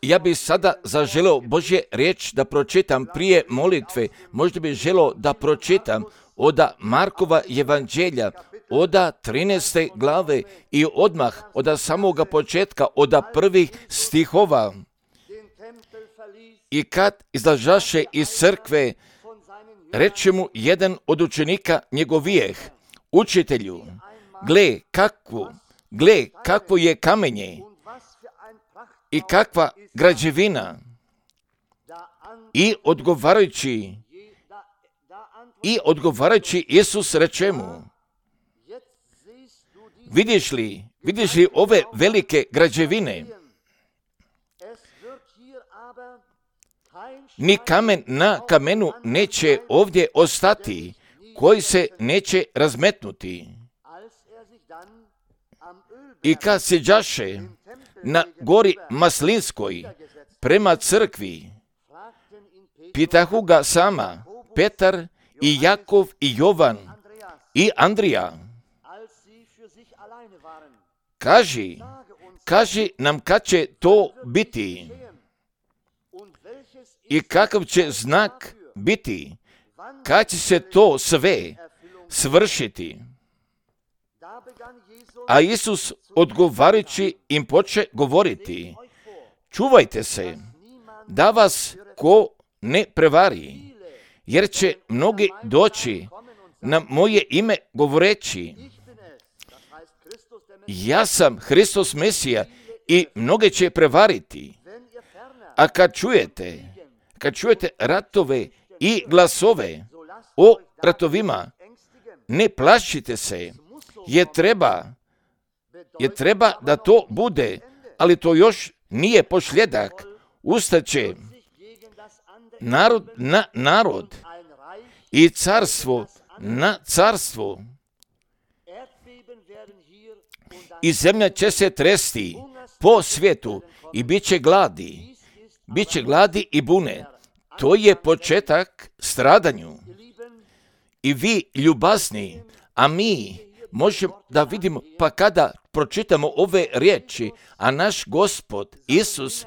Ja bih sada zaželeo Božje riječ da pročitam prije molitve. Možda bih želeo da pročitam od Markova evanđelja, od 13. glave i odmah od samoga početka, od prvih stihova. I kad izlažaše iz crkve, reče mu jedan od učenika njegovijeh: Učitelju, gle kakvo je kamenje i kakva građevina. I odgovarajući Isus reče mu: Vidiš li ove velike građevine? Ni kamen na kamenu neće ovdje ostati, koji se neće razmetnuti. I kad siđaše na gori Maslinskoj prema crkvi, pitahu ga sama Petar i Jakov i Jovan i Andrija: Kaži nam kad će to biti i kakav će znak biti, kad će se to sve svršiti. A Isus odgovarajući im poče govoriti: Čuvajte se da vas ko ne prevari, jer će mnogi doći na moje ime govoreći: Ja sam Hristos Mesija, i mnoge će prevariti. A kad čujete ratove i glasove o ratovima, ne plašite se, jer treba da to bude, ali to još nije pošljedak. Ustaće narod na narod i carstvo na carstvo. I zemlja će se tresti po svijetu i bit će gladi i bune. To je početak stradanju. I vi ljubazni, a mi možemo da vidimo, pa kada pročitamo ove riječi, a naš Gospod Isus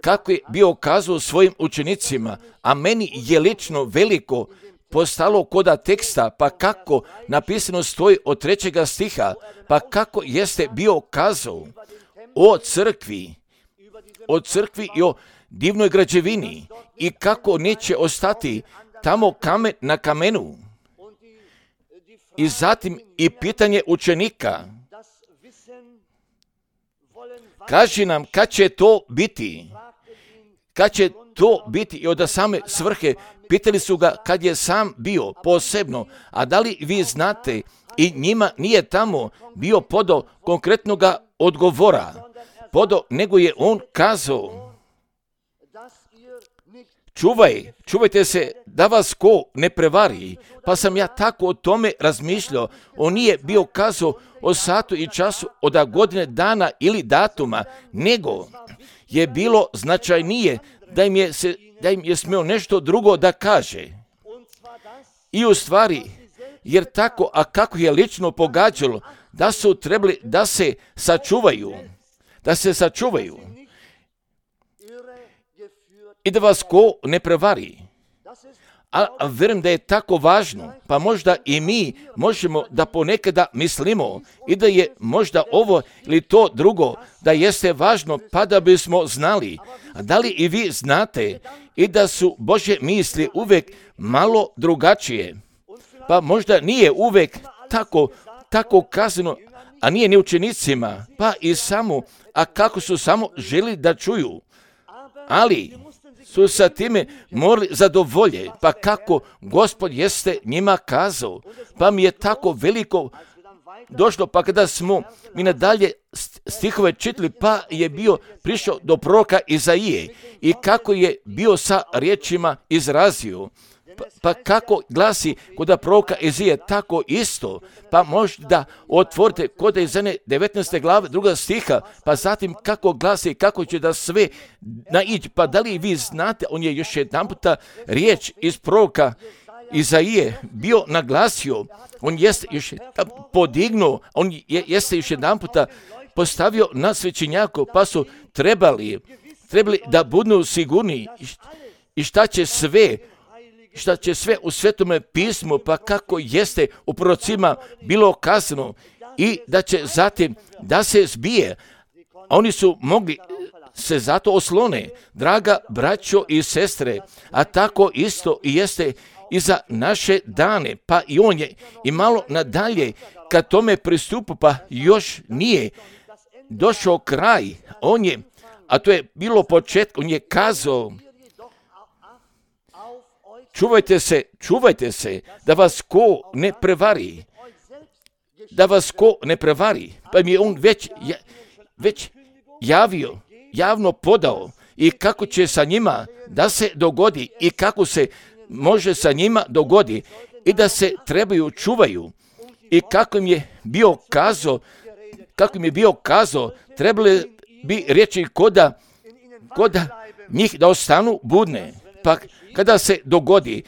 kako je bio kazao svojim učenicima, a meni je lično veliko postalo koda teksta, pa kako napisano stoji od 3. stiha, pa kako jeste bio kazao o crkvi i o divnoj građevini i kako neće ostati tamo kamen na kamenu. I zatim i pitanje učenika: Kaži nam kad će to biti? I od same svrhe pitali su ga kad je sam bio posebno, a da li vi znate, i njima nije tamo bio podo konkretnog odgovora, nego je on kazao: Čuvajte se da vas ko ne prevari. Pa sam ja tako o tome razmišljao. On nije bio kazao o satu i času, od godine, dana ili datuma, nego je bilo značajnije da im je smio nešto drugo da kaže. I u stvari, jer tako, a kako je lično pogađalo, da su trebali da se sačuvaju i da vas ko ne prevari. A vjerujem da je tako važno, pa možda i mi možemo da ponekada mislimo i da je možda ovo ili to drugo, da jeste važno, pa da bismo znali. A da li i vi znate i da su Božje misli uvijek malo drugačije? Pa možda nije uvijek tako kazano, a nije ni učenicima, pa i samo, a kako su samo želi da čuju. Ali su sa time morali zadovolje, pa kako Gospod jeste njima kazao. Pa mi je tako veliko došlo, pa kada smo mi nadalje stihove čitali, pa je bio prišao do proroka Izaije i kako je bio sa riječima izrazio. Pa kako glasi kod proroka Izaije, tako isto. Pa možda otvorite kod Izaije 19. glave 2. stiha, pa zatim kako glasi, kako će da sve naići. Pa da li vi znate, on je još jedan puta riječ iz proroka Izaije bio naglasio, on jeste još podignuo, on jeste još jedan puta postavio na svećenjaku, pa su trebali da budu sigurni i šta će sve u Svetome pismu, pa kako jeste u prorocima bilo kazano, i da će zatim da se zbije. Oni su mogli se zato oslone, draga braćo i sestre, a tako isto i jeste i za naše dane, pa i on je i malo nadalje kad tome pristupu, pa još nije došao kraj, a to je bilo početak, on je kazao, čuvajte se, da vas ko ne prevari, pa mi je on već javno podao i kako će sa njima da se dogodi i kako se može sa njima dogodi i da se trebaju čuvaju i kako im je bio kazao, trebali bi reći koda njih da ostanu budne, pa kada se dogodi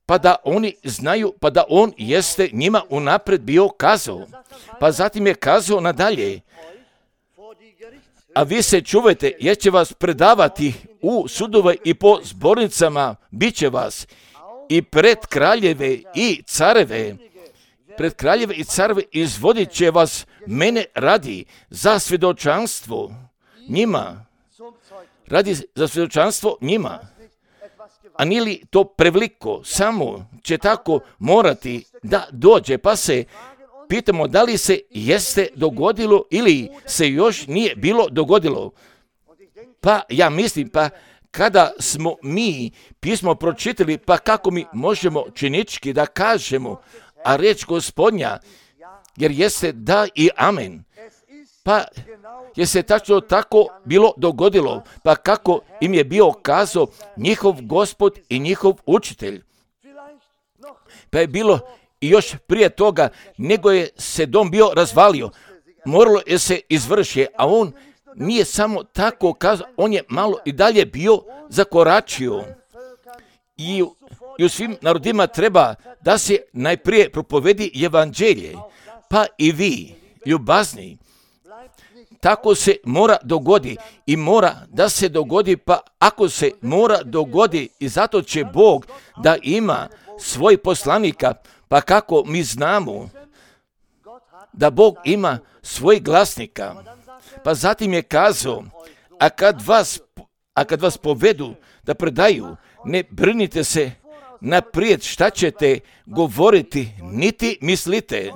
pa da oni znaju, pa da on jeste njima unapred bio kazao, pa zatim je kazao nadalje, a vi se čuvajte, jer će vas predavati u sudove i po zbornicama, bit će vas i pred kraljeve i careve izvodit će vas mene radi za svjedočanstvo njima. A nije li to preveliko, samo će tako morati da dođe, pa se pitamo da li se jeste dogodilo ili se još nije bilo dogodilo. Pa ja mislim, pa kada smo mi pismo pročitali, pa kako mi možemo činički da kažemo, a riječ Gospodnja, jer jeste da i amen, pa je se tačno tako bilo dogodilo, pa kako im je bio kazao njihov Gospod i njihov učitelj. Pa je bilo i još prije toga, nego je se dom bio razvalio, moralo je se izvršiti, a on nije samo tako kazao, on je malo i dalje bio zakoračio. I u svim narodima treba da se najprije propovedi evanđelje, pa i vi, ljubazni, tako se mora dogodi i mora da se dogodi, pa ako se mora dogodi i zato će Bog da ima svoj poslanika, pa kako mi znamo da Bog ima svoj glasnika, pa zatim je kazao, a kad vas povedu da predaju, ne brinite se naprijed šta ćete govoriti, niti mislite,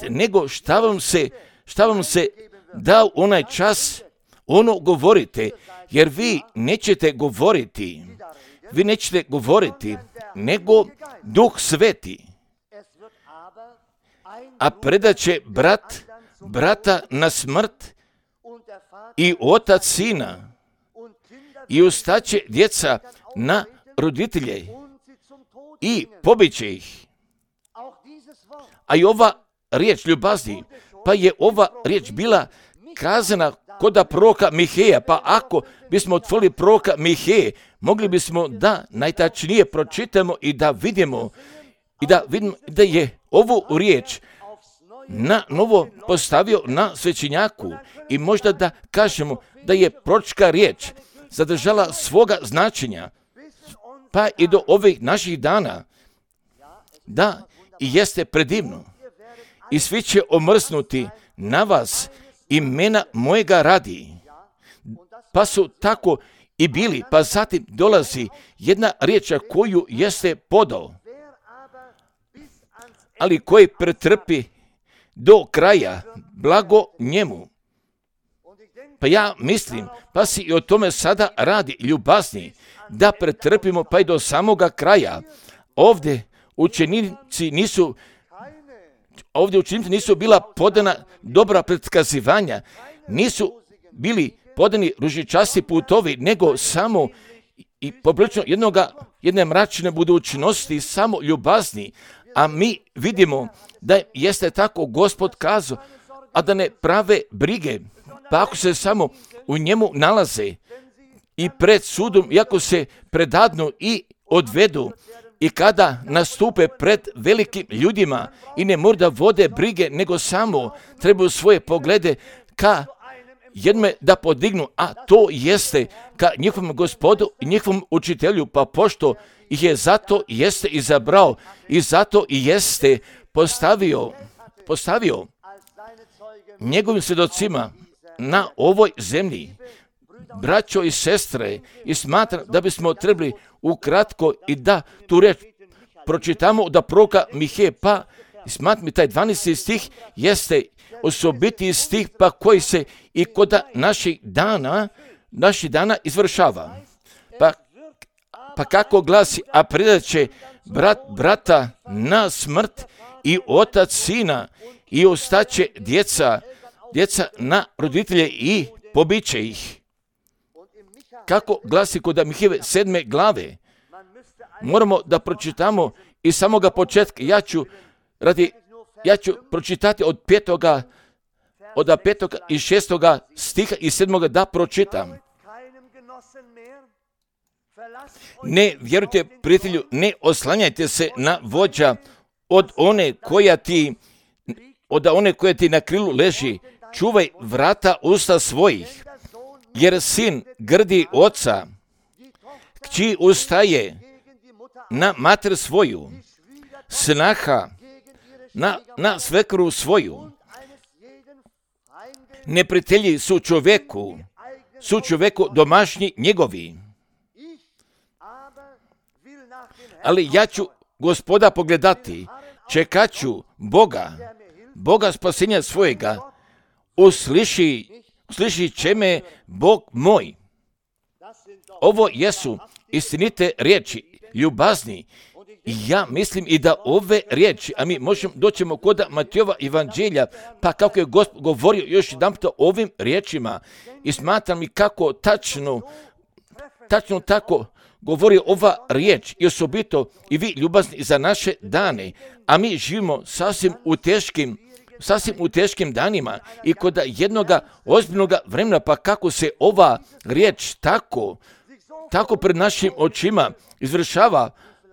nego šta vam se da onaj čas, ono govorite, jer vi nećete govoriti, nego Duh Sveti, a predaće brata na smrt i otac sina, i ustaće djeca na roditelje i pobiće ih. A i ova riječ ljubazni, pa je ova riječ bila kazana kod proroka Miheja, pa ako bismo otvorili proroka Miheje, mogli bismo da najtačnije pročitamo i da vidimo da je ovu riječ na novo postavio na svećenjaku i možda da kažemo da je proročka riječ zadržala svoga značenja, pa i do ovih naših dana, da i jeste predivno. I svi će omrznuti na vas imena mojega radi. Pa su tako i bili, pa zatim dolazi jedna riječ koju jeste podao, ali koji pretrpi do kraja, blago njemu. Pa ja mislim, pa si i o tome sada radi, ljubazni, da pretrpimo pa i do samoga kraja. Ovdje učenici nisu bila podana dobra predskazivanja, nisu bili podani ružičasti putovi, nego samo i poprilično jedne mračne budućnosti, samo ljubazni. A mi vidimo da jeste tako Gospod kazao, a da ne prave brige, pa ako se samo u njemu nalaze i pred sudom, iako se predadnu i odvedu, i kada nastupe pred velikim ljudima i ne mora da vode brige, nego samo trebaju svoje poglede ka jednome da podignu, a to jeste ka njihovom Gospodu i njihovom učitelju, pa pošto ih je zato jeste izabrao i zato i jeste postavio njegovim svjedocima na ovoj zemlji, braćo i sestre, i smatram da bismo trebali ukratko i da tu reč pročitamo da proroka Miheje, pa smatram mi taj 12. stih jeste osobiti stih pa koji se i kod naših dana izvršava. Pa kako glasi, a predat će brat brata na smrt i otac sina i ostaće djeca na roditelje i pobiće ih. Kako glasi kod Mihejeve 7. glave, moramo da pročitamo iz samoga početka. Ja ću pročitati od 5. i 6. stiha i 7. da pročitam. Ne vjerujte, prijatelju, ne oslanjajte se na vođa od one koja ti na krilu leži. Čuvaj vrata usta svojih, jer sin grdi oca, kći ustaje na mater svoju, snaha na svekru svoju. Neprijatelji su čoveku domašnji njegovi. Ali ja ću Gospoda pogledati, čekat ću Boga spasenja svojega, usliši će me Bog moj. Ovo jesu istinite riječi, ljubazni. Ja mislim i da ove riječi, a mi doćemo kod Matejova evanđelja, pa kako je Gospod govorio još jedanput o ovim riječima i smatram i kako tačno tako govori ova riječ i osobito i vi ljubazni za naše dane, a mi živimo sasvim u teškim danima i kod jednoga ozbiljnog vremena, pa kako se ova riječ tako pred našim očima izvršava,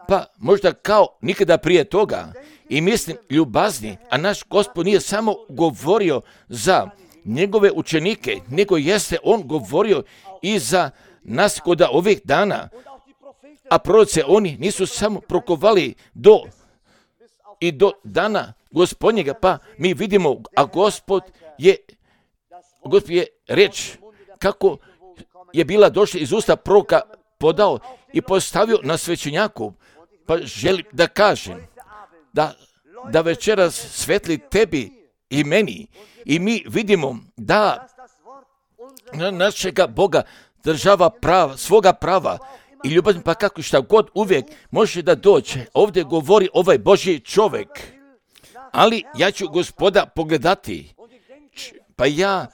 pa možda kao nikada prije toga. I mislim, ljubazni, a naš Gospod nije samo govorio za njegove učenike, nego jeste on govorio i za nas kod ovih dana. A proroci, oni nisu samo prokovali do dana Gospodnjega, pa mi vidimo, a Gospod je reč kako je bila došla iz usta proroka podao i postavio na svećenjaku. Pa želim da kažem da večeras svetli tebi i meni i mi vidimo da našega Boga država svoga prava i ljubazni, pa kako šta god uvijek može da dođe. Ovdje govori ovaj Božji čovjek. Ali ja ću Gospoda pogledati. Pa ja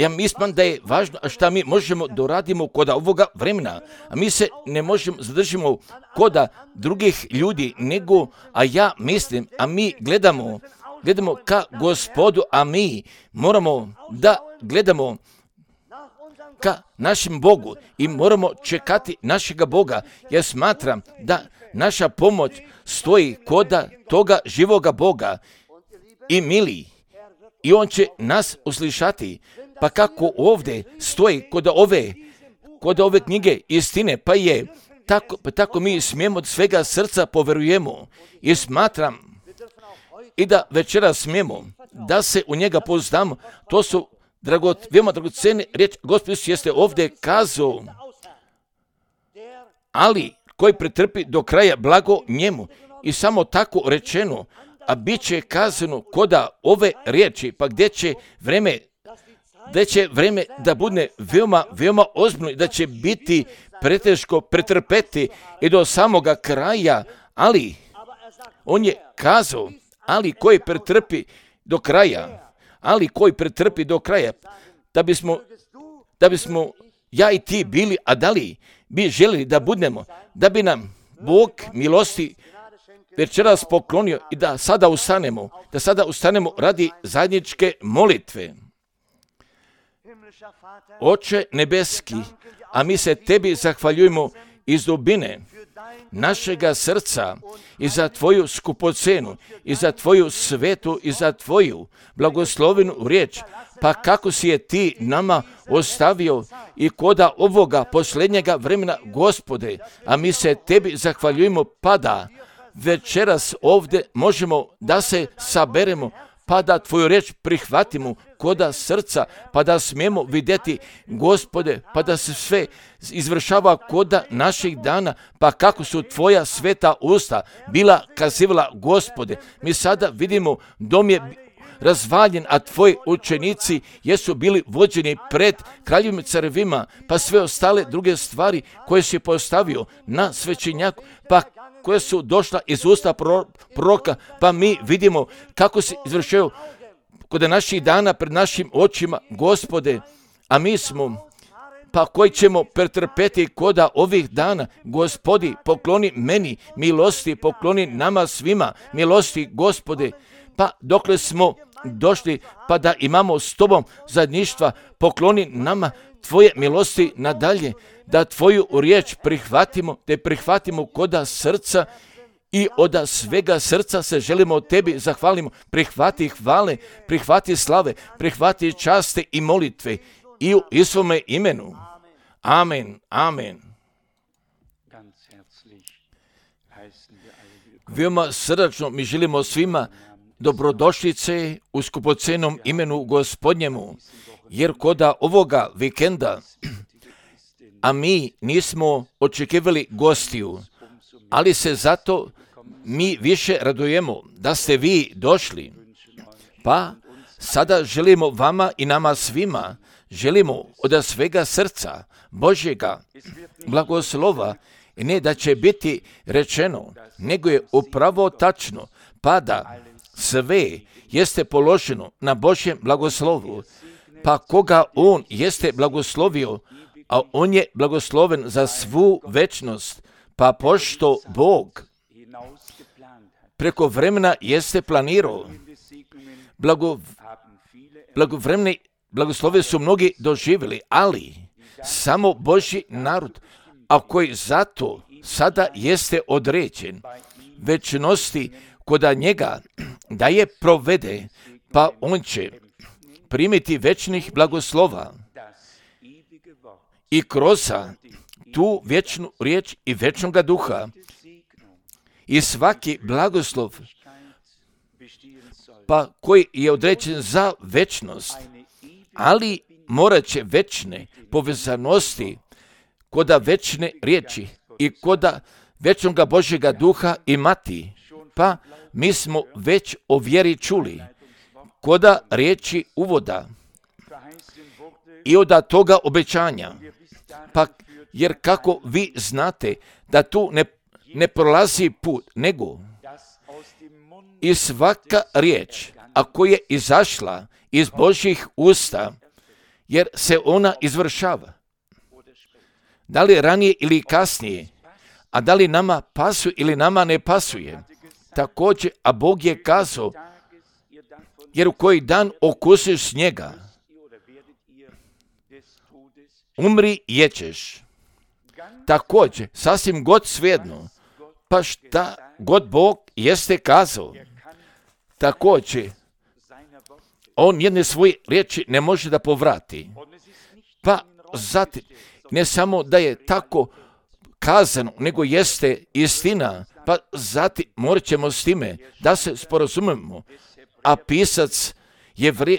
mislim da je važno šta mi možemo doradimo kod ovoga vremena. A mi se ne možemo zadržimo kod drugih ljudi, nego, a mi gledamo ka Gospodu, a mi moramo da gledamo ka našem Bogu i moramo čekati našega Boga. Ja smatram da naša pomoć stoji kod toga živoga Boga i mili. I on će nas uslišati. Pa kako ovdje stoji kod ove knjige istine, pa je tako mi smijemo od svega srca poverujemo i smatram i da večera smijemo da se u njega pouzdamo. To su veoma dragocene riječi. Gospod jeste ovdje kazao, ali koji pretrpi do kraja blago njemu. I samo tako rečeno, a bit će kazano koda ove riječi, pa gdje će vreme da bude veoma ozbiljno i da će biti preteško pretrpeti i do samoga kraja, ali on je kazao, ali koji pretrpi do kraja, da bismo ja i ti bili, a da li bi željeli da budemo, da bi nam Bog milosti večeras poklonio i da sada ustanemo radi zajedničke molitve. Oče nebeski, a mi se tebi zahvaljujemo iz dubine našega srca i za tvoju skupocenu i za tvoju svetu i za tvoju blagoslovenu riječ. Pa kako si je ti nama ostavio i koda ovoga posljednjega vremena, Gospode, a mi se tebi zahvaljujemo, pa da večeras ovdje možemo da se saberemo, pa da tvoju riječ prihvatimo koda srca, pa da smijemo vidjeti, Gospode, pa da se sve izvršava koda naših dana, pa kako su tvoja sveta usta bila kazivala, Gospode. Mi sada vidimo, dom je razvaljen, a tvoji učenici jesu bili vođeni pred kraljevim carevima, pa sve ostale druge stvari koje si postavio na svećenjaku, pa koje su došla iz usta proroka, pa mi vidimo kako se izvršaju kod naših dana pred našim očima, Gospode, a mi smo, pa koji ćemo pretrpeti koda ovih dana, Gospodi, pokloni meni milosti, pokloni nama svima milosti, Gospode, pa dokle smo došli, pa da imamo s tobom zajedništva, pokloni nama tvoje milosti nadalje, da tvoju riječ prihvatimo, te prihvatimo koda srca i od svega srca se želimo tebi zahvalimo. Prihvati hvale, prihvati slave, prihvati časte i molitve i u Isuvome imenu. Amen, amen. Veoma srdačno mi želimo svima dobrodošlice u skupocenom imenu Gospodnjemu, jer koda ovoga vikenda, a mi nismo očekivali gostiju, ali se zato mi više radujemo da ste vi došli. Pa sada želimo vama i nama svima, želimo od svega srca Božjega blagoslova, i ne da će biti rečeno, nego je upravo tačno, pa da sve jeste položeno na Božjem blagoslovu, pa koga on jeste blagoslovio, a on je blagosloven za svu večnost, pa pošto Bog preko vremena jeste planirao, blagovremene blagoslove su mnogi doživjeli, ali samo Božji narod, a koji zato sada jeste određen večnosti koda njega da je provede, pa on će primiti večnih blagoslova i kroz tu vječnu riječ i večnoga duha i svaki blagoslov, pa koji je određen za večnost, ali morat će večne povezanosti koda večne riječi i koda večnoga Božjega duha imati. Pa mi smo već o vjeri čuli koda riječi uvoda i od toga obećanja. Pa jer kako vi znate da tu ne prolazi put, nego i svaka riječ, a koja je izašla iz Božjih usta, jer se ona izvršava. Da li ranije ili kasnije, a da li nama pasuje ili nama ne pasuje. Također, a Bog je kazao, jer u koji dan okusiš njega, umri jećeš. Također, sasvim god svejedno, pa šta god Bog jeste kazao, također, on jedne svoje riječi ne može da povrati. Pa zatim, ne samo da je tako kazano, nego jeste istina, pa zatim morat ćemo s time da se sporazumemo. A pisac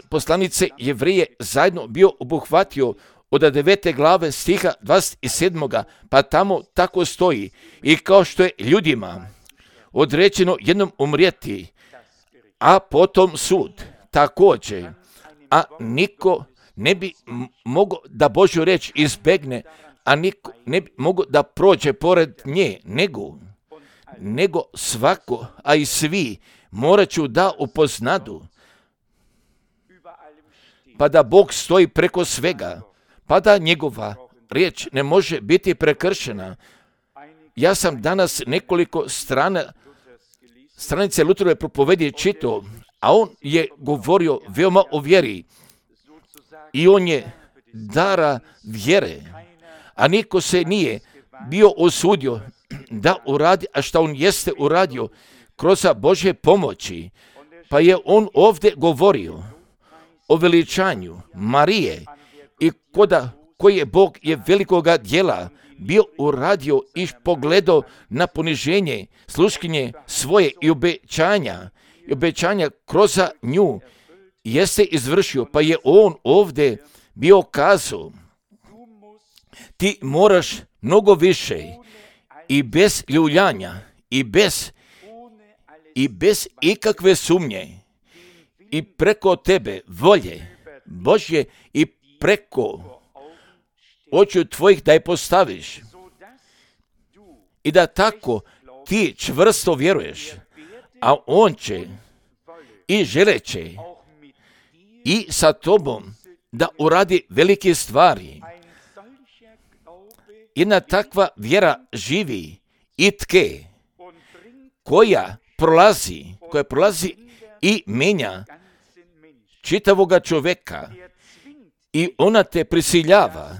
poslanice Jevrije zajedno bio obuhvatio od 9. glave stiha 27. pa tamo tako stoji. I kao što je ljudima određeno jednom umrijeti, a potom sud, također, a niko ne bi mogao da Božju riječ izbegne, a niko ne bi mogao da prođe pored nje, nego svako, a i svi morat ću da upoznadu, pa da Bog stoji preko svega, pa da njegova riječ ne može biti prekršena. Ja sam danas nekoliko stranice Lutherove propovedije čitao, a on je govorio veoma o vjeri i on je dara vjere, a niko se nije bio osudio da uradi, a što on jeste uradio kroz Božje pomoći, pa je on ovdje govorio o veličanju Marije i koje Bog je velikoga djela bio uradio i pogledao na poniženje sluškinje svoje i obećanja kroz nju jeste izvršio, pa je on ovdje bio kazao: ti moraš mnogo više i bez ljuljanja i bez ikakve sumnje i preko tebe volje Božje i preko očiju tvojih da je postaviš i da tako ti čvrsto vjeruješ, a on će i želeće i sa tobom da uradi velike stvari. Jedna takva vjera živi i tke, koja prolazi i menja čitavoga čovjeka i ona te prisiljava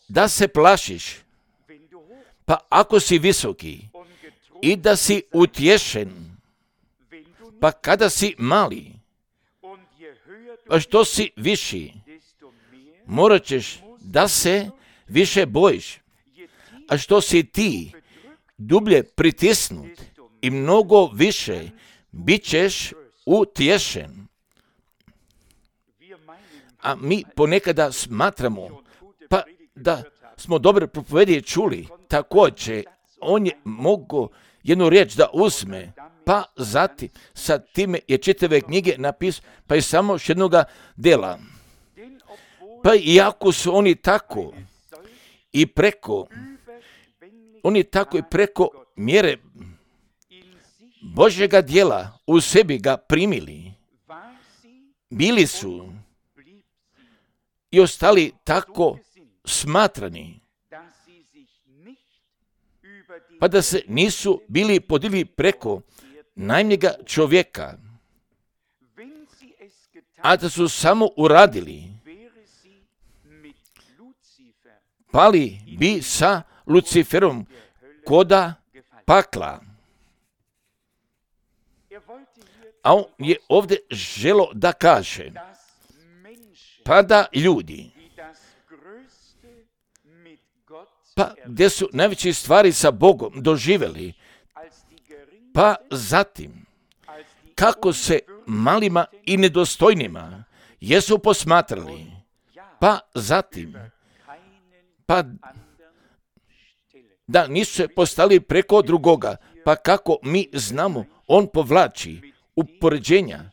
da se plašiš, pa ako si visoki i da si utješen, pa kada si mali, pa što si viši, morat ćeš da se više bojiš, a što si ti dublje pritisnut i mnogo više bit ćeš utješen. A mi ponekada smatramo, pa da smo dobre propovedije čuli, također on je mogao jednu riječ da uzme, pa zatim sa time je čitave knjige napisao, pa je samo još jednoga dela. Pa iako su oni tako i preko mjere Božjega djela u sebi ga primili, bili su i ostali tako smatrani, pa da se nisu bili podigli preko najmnjega čovjeka, a da su samo uradili, pali bi sa Luciferom koda pakla. A on je ovdje želo da kaže, pa da ljudi, pa gdje su najveće stvari sa Bogom doživjeli, pa zatim kako se malima i nedostojnima jesu posmatrali, pa zatim pa da nisu se postali preko drugoga, pa kako mi znamo, on povlači upoređenja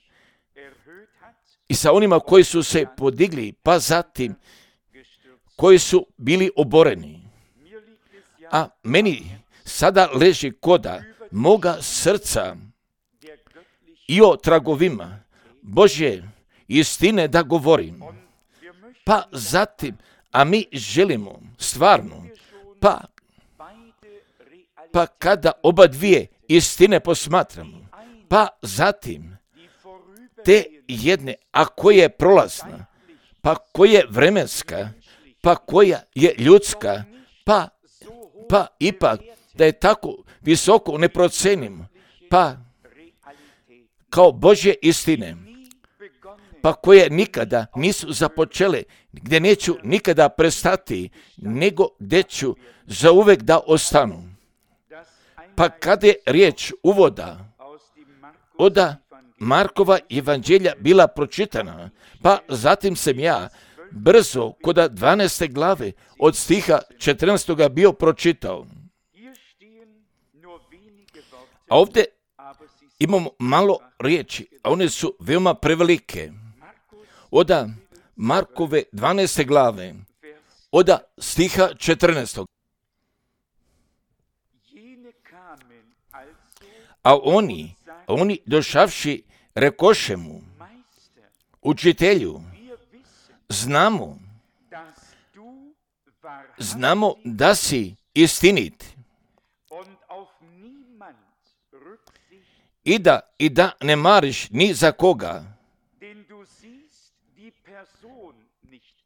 i sa onima koji su se podigli, pa zatim koji su bili oboreni. A meni sada leži koda moga srca i o tragovima Božje istine da govorim. Pa zatim, a mi želimo stvarno, pa kada oba dvije istine posmatramo, pa zatim te jedne, a koja je prolazna, pa koja je vremenska, pa koja je ljudska, pa ipak da je tako visoko ne procenimo, pa kao Božje istine, pa koje nikada nisu započele, gdje neću nikada prestati, nego gdje ću zauvek da ostanu. Pa kada je riječ uvoda od Markova evanđelja bila pročitana, pa zatim sam ja brzo kod 12. glave od stiha 14. bio pročitao. A ovdje imamo malo riječi, a one su veoma prevelike. Od Markove 12. glave, od stiha 14. A oni došavši rekoše mu, učitelju, znamo da si istinit i da ne mariš ni za koga,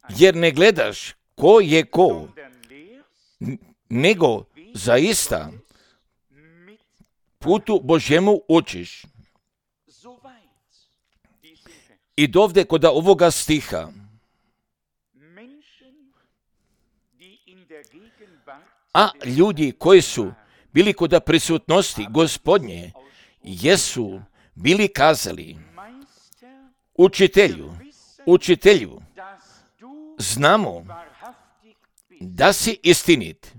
jer ne gledaš ko je ko, nego zaista putu Božjemu učiš. I dovde kod ovoga stiha, a ljudi koji su bili kod prisutnosti Gospodnje, jesu bili kazali, učitelju, znamo da si istinit.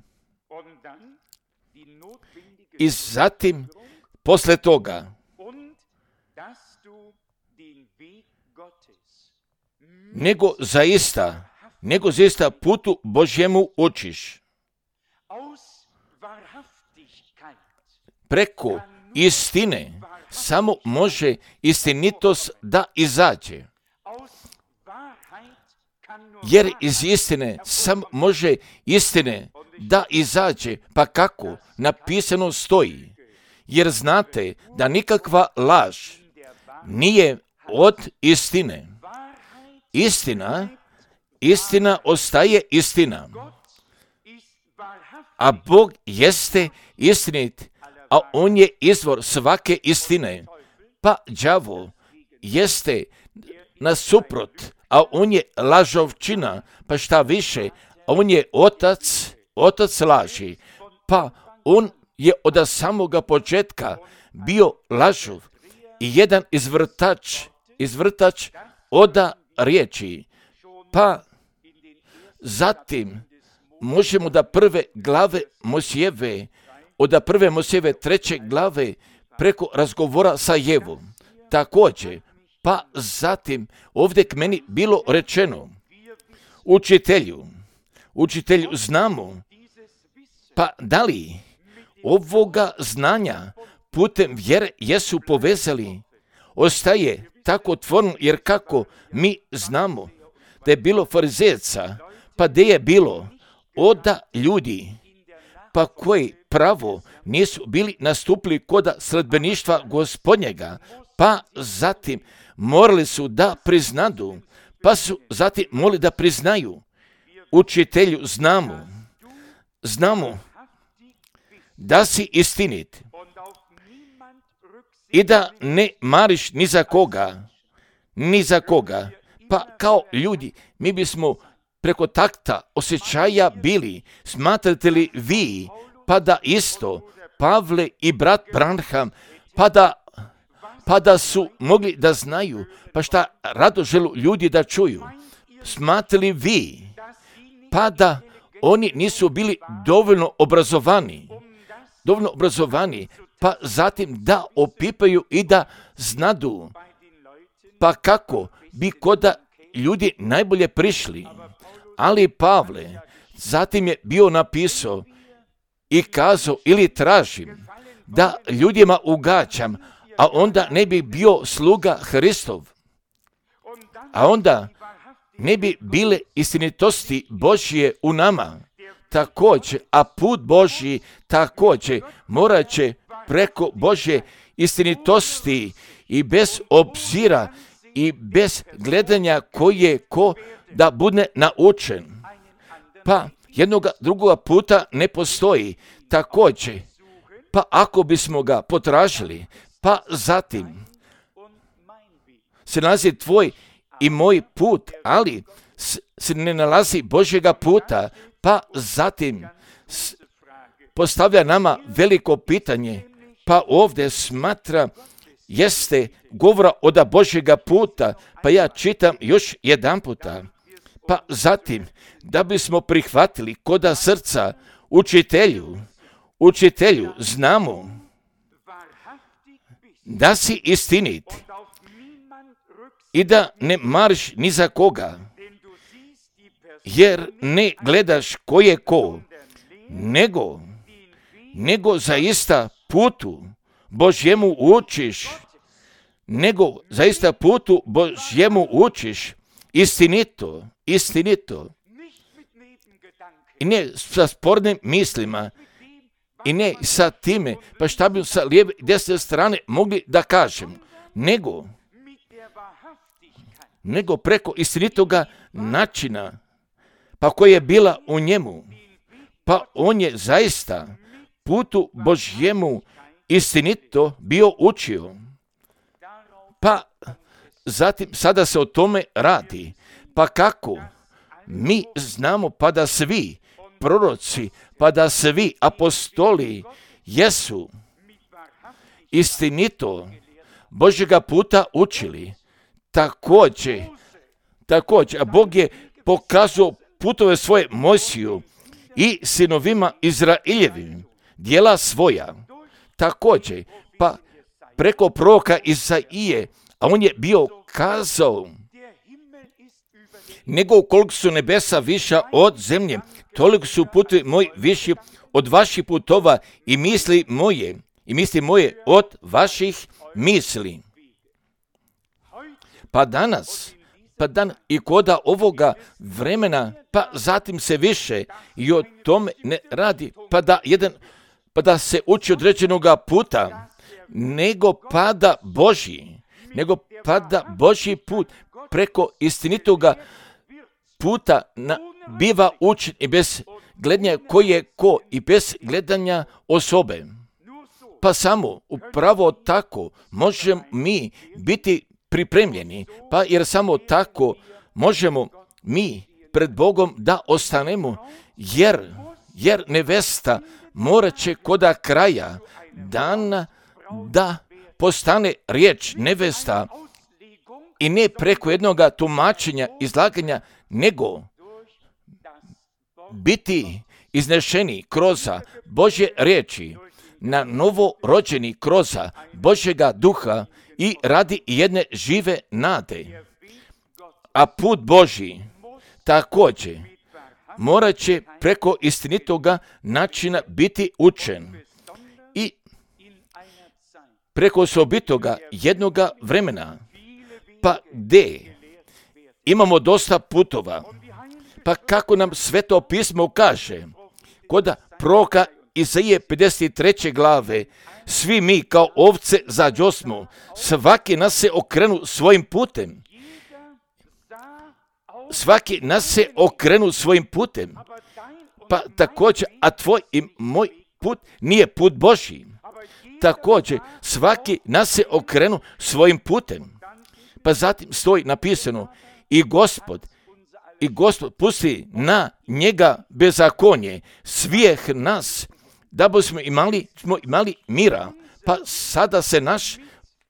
I zatim, posle toga, nego zaista putu Božjemu učiš. Preko istine samo može istinitost da izađe. Jer iz istine samo može istine da izađe. Pa kako? Napisano stoji. Jer znate da nikakva laž nije od istine. Istina ostaje istina. A Bog jeste istinit, a On je izvor svake istine. Pa đavo jeste nasuprot, a on je lažovčina, pa šta više, on je otac laži. Pa on je od samoga početka bio lažov i jedan izvrtač od riječi. Pa zatim možemo da prve glave Mojsijeve, od prve Mojsijeve 3. glave preko razgovora sa Jevom. Također, pa zatim ovdje k meni bilo rečeno, učitelju znamo, pa da li ovoga znanja putem vjere jesu povezali, ostaje tako otvoreno, jer kako mi znamo da je bilo farizejaca, pa gdje je bilo od ljudi, pa koji pravo nisu bili nastupili kod sledbeništva Gospodnjega, pa zatim morali su da priznadu, pa su zatim morali da priznaju, učitelju znamo da si istinit i da ne mariš ni za koga, pa kao ljudi mi bismo preko takta osjećaja bili, smatrate li vi, pa da isto Pavle i brat Branham, pa da su mogli da znaju, pa šta rado želu ljudi da čuju, smatrali vi, pa da oni nisu bili dovoljno obrazovani, pa zatim da opipaju i da znadu, pa kako bi kod ljudi najbolje prišli. Ali Pavle zatim je bio napisao i kazao ili tražim da ljudima ugađam, a onda ne bi bio sluga Hristov, a onda ne bi bile istinitosti Božje u nama. Također, a put Božji također morat će preko Božje istinitosti i bez obzira i bez gledanja koji je ko da bude naučen. Pa jednoga drugoga puta ne postoji. Također, pa ako bismo ga potražili, pa zatim se nalazi tvoj i moj put, ali se ne nalazi Božjega puta, pa zatim postavlja nama veliko pitanje, pa ovdje smatra jeste govora od Božjega puta, pa ja čitam još jedan puta. Pa zatim, da bismo prihvatili koda srca učitelju, znamo da si istinit i da ne mariš ni za koga, jer ne gledaš ko je ko, nego zaista putu Božjemu učiš, istinito. I ne sa spornim mislima, i ne sa time, pa šta bi sa lijeve i desne strane mogli da kažem, nego preko istinitoga načina, pa koja je bila u njemu, pa on je zaista putu Božjemu istinito bio učio. Pa zatim sada se o tome radi. Pa kako? Mi znamo pa da svi proroci, pa da svi apostoli jesu istinito Božjega puta učili. Također, a Bog je pokazao putove svoje Mojsiju i sinovima Izraeljevim, djela svoja. Također, pa preko proroka Isaije, a on je bio kazao, nego koliko su nebesa viša od zemlje, toliko su putovi moji viši od vaših putova i misli moje od vaših misli. Pa danas i koda ovoga vremena, pa zatim se više i o tome ne radi, pa da se uči određenoga puta, nego pada Božji put preko istinitoga puta biva učen i bez gledanja ko je ko i bez gledanja osobe. Pa samo upravo tako možemo mi biti pripremljeni, pa jer samo tako možemo mi pred Bogom da ostanemo, jer nevesta morat će koda kraja dana da postane riječ nevesta i ne preko jednoga tumačenja, izlaganja, nego biti iznešeni kroz Božje riječi, na novo rođeni kroz Božjega duha i radi jedne žive nade. A put Božji također morat će preko istinitoga načina biti učen i preko osobitoga jednoga vremena, pa gdje imamo dosta putova, pa kako nam Sveto pismo kaže, kod proroka Isaije 53. glave, svi mi kao ovce zađosmo, svaki nas se okrenu svojim putem. Svaki nas se okrenu svojim putem. Pa također, a tvoj i moj put nije put Božji. Također, svaki nas se okrenu svojim putem. Pa zatim stoji napisano, i Gospod pusti na njega bezakonje, svijeh nas, da bismo imali mira. Pa sada se naš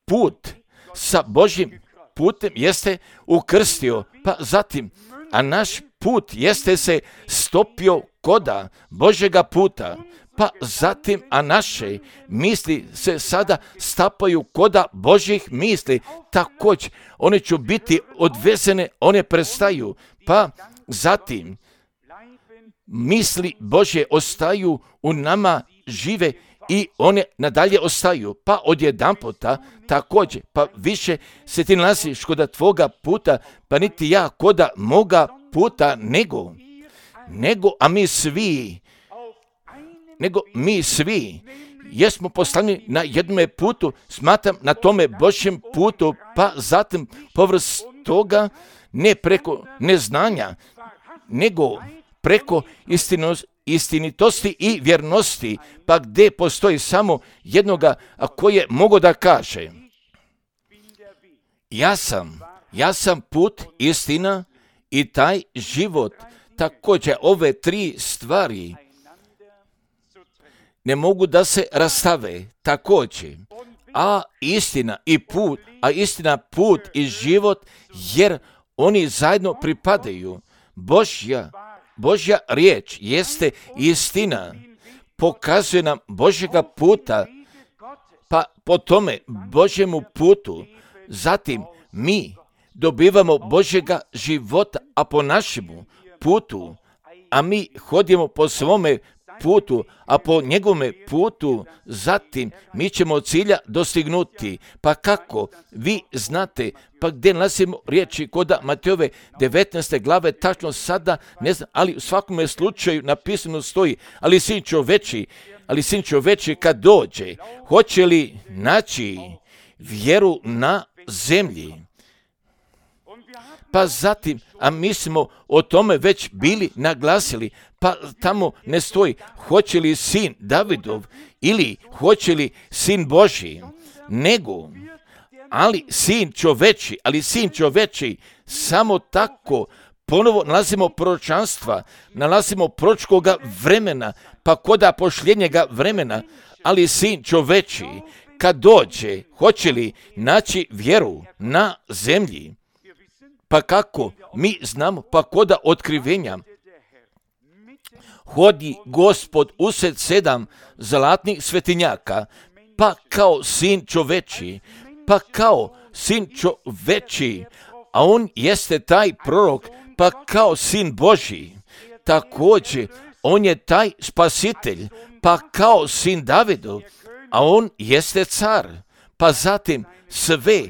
put sa Božjim putem jeste ukrstio, pa zatim, a naš put jeste se stopio koda Božjega puta, pa zatim, a naše misli se sada stapaju koda Božjih misli, također one će biti odvezene, one prestaju, pa zatim misli Božje ostaju u nama žive i one nadalje ostaju, pa odjedanputa također, pa više se ti nalaziš koda tvoga puta, pa niti ja koda moga puta, a mi svi jesmo poslani na jednom putu, smatram na tome Božjem putu, pa zatim povrst toga ne preko neznanja, nego preko istinitosti i vjernosti, pa gdje postoji samo jednoga koje mogu da kaže, ja sam put, istina i taj život. Također ove tri stvari ne mogu da se rastave također, a istina, put i život, jer oni zajedno pripadaju. Božja riječ jeste istina, pokazuje nam Božjega puta, pa po tome Božjemu putu, zatim mi dobivamo Božjega života, a po našemu putu, a mi hodimo po svome putu, a po njegovome putu, zatim mi ćemo cilja dostignuti. Pa kako? Vi znate, pa gdje nalazimo riječi koda Matejove 19. glave, tačno sada, ne znam, ali u svakom slučaju napisano stoji, ali sin čoveči kad dođe, hoće li naći vjeru na zemlji? pa zatim, a mi smo o tome već bili naglasili, pa tamo ne stoji hoće li sin Davidov ili hoće li sin Božji, nego, ali sin čoveči, samo tako ponovo nalazimo proročanstva, nalazimo proročkoga vremena, pa koda pošljenjega vremena, ali sin čoveči, kad dođe, hoće li naći vjeru na zemlji? Pa kako mi znamo, pa koda otkrivenja, hodi Gospod usred 7 zlatnih svetinjaka, pa kao sin čoveči, a on jeste taj prorok, pa kao sin Božji, također on je taj spasitelj, pa kao sin Davidov, a on jeste car, pa zatim sve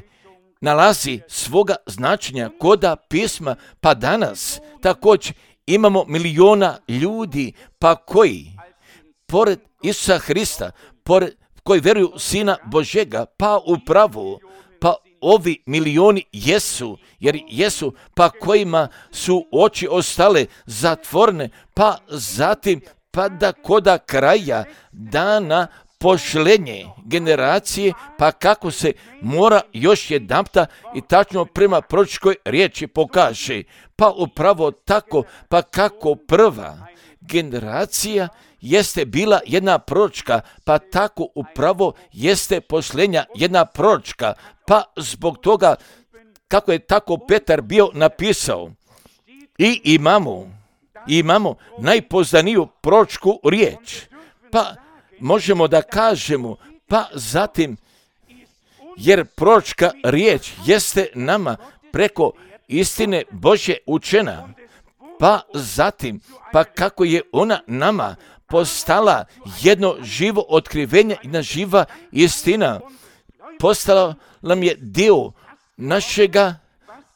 nalazi svoga značenja koda pisma, pa danas također imamo miliona ljudi, pa koji, pored Isusa Hrista, koji vjeruju Sina Božega, pa upravo, pa ovi milioni jesu, pa kojima su oči ostale zatvorene, pa zatim, pa da koda kraja dana pošlenje generacije, pa kako se mora još jedanputa i tačno prema proročkoj riječi pokaže, pa upravo tako, pa kako prva generacija jeste bila jedna proročka, pa tako upravo jeste pošlenja jedna proročka, pa zbog toga kako je tako Petar bio napisao, i imamo najpoznaniju proročku riječ, pa možemo da kažemo, pa zatim, jer proročka riječ jeste nama preko istine Božje učena, pa zatim, pa kako je ona nama postala jedno živo otkrivenje, jedna živa istina, postala nam je dio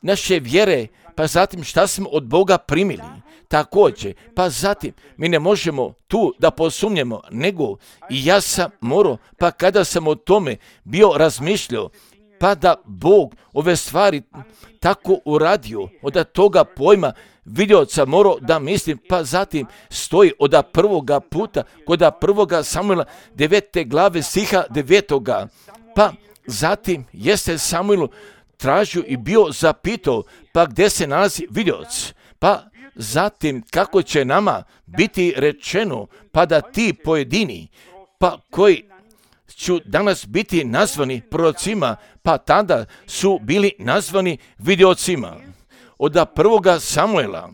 naše vjere, pa zatim šta smo od Boga primili. Također, pa zatim, mi ne možemo tu da posumnjemo, nego i ja sam morao, pa kada sam o tome bio razmišljao, pa da Bog ove stvari tako uradio, od toga pojma vidioca morao da mislim, pa zatim stoji od prvoga puta, kod prvoga Samuela 9. glave stiha 9. Pa zatim jeste Samuelu tražio i bio zapitao, pa gdje se nalazi vidioc, pa zatim kako će nama biti rečeno, pa da ti pojedini, pa koji ću danas biti nazvani prorocima, pa tada su bili nazvani vidiocima. Od prvoga Samuela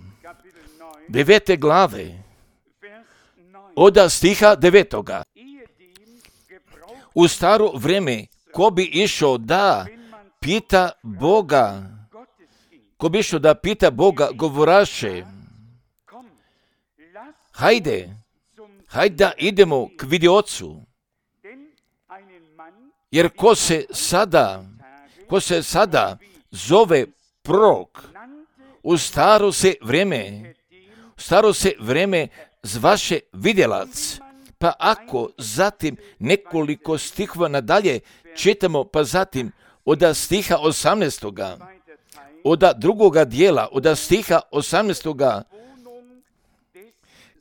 9. glave, od stiha 9. U staro vrijeme, ko bi išao da pita Boga, govoraše, hajde da idemo k vidiocu, jer ko se sada zove prorok, u staro se vrijeme zvaše vidjelac, pa ako zatim nekoliko stihova nadalje čitamo, pa zatim od stiha 18. od drugoga dijela, od stiha 18.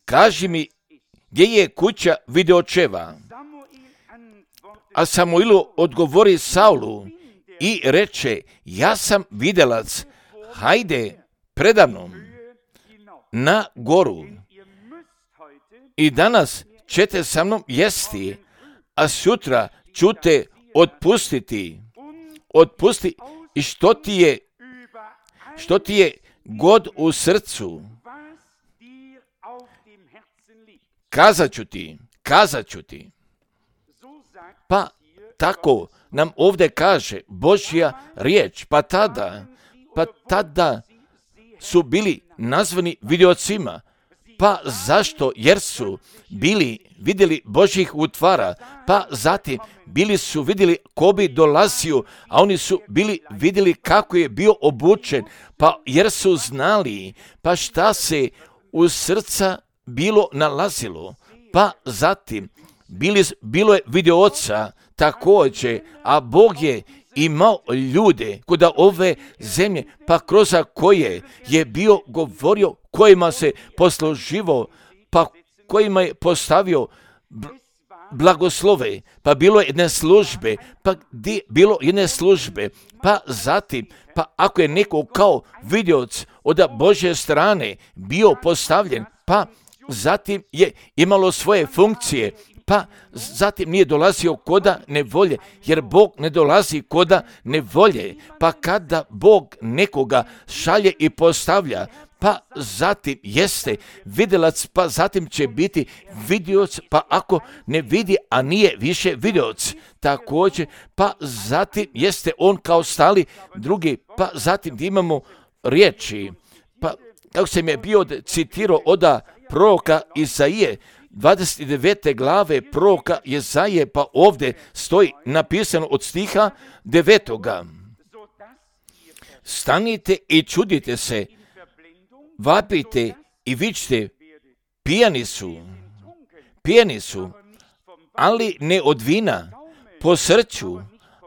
kaži mi gdje je kuća vidiočeva. A Samuilu odgovori Saulu i reče, ja sam vidjelac, hajde predamnom na goru i danas ćete sa mnom jesti, a sutra ću te otpusti i što ti je god u srcu, kazat ću ti. Pa tako nam ovdje kaže Božja riječ, pa tada su bili nazvani vidiocima. Pa zašto? Jer su vidjeli Božjih utvara, pa zatim bili su vidjeli ko bi dolazio, a oni su vidjeli kako je bio obučen, pa jer su znali, pa šta se u srca bilo nalazilo, pa zatim bilo je vidioca također, a Bog je imao ljude kod ove zemlje, pa kroz koje je bio govorio, kojima se posluživao, pa kojima je postavio blagoslove, pa bilo jedne službe, pa zatim, pa ako je neko kao vidioc od Božje strane bio postavljen, pa zatim je imalo svoje funkcije, pa zatim nije dolazio koda nevolje, jer Bog ne dolazi koda nevolje, pa kada Bog nekoga šalje i postavlja, pa zatim jeste vidjelac, pa zatim će biti vidioc, pa ako ne vidi, a nije više vidioc, također, pa zatim jeste on kao stali drugi, pa zatim imamo riječi, pa kako sam je bio citirao od proroka Izaije, 29. glave proroka Izaije, pa ovdje stoji napisano od stiha 9. Stanite i čudite se, vapite i vičite, pijani su, ali ne od vina, po srcu,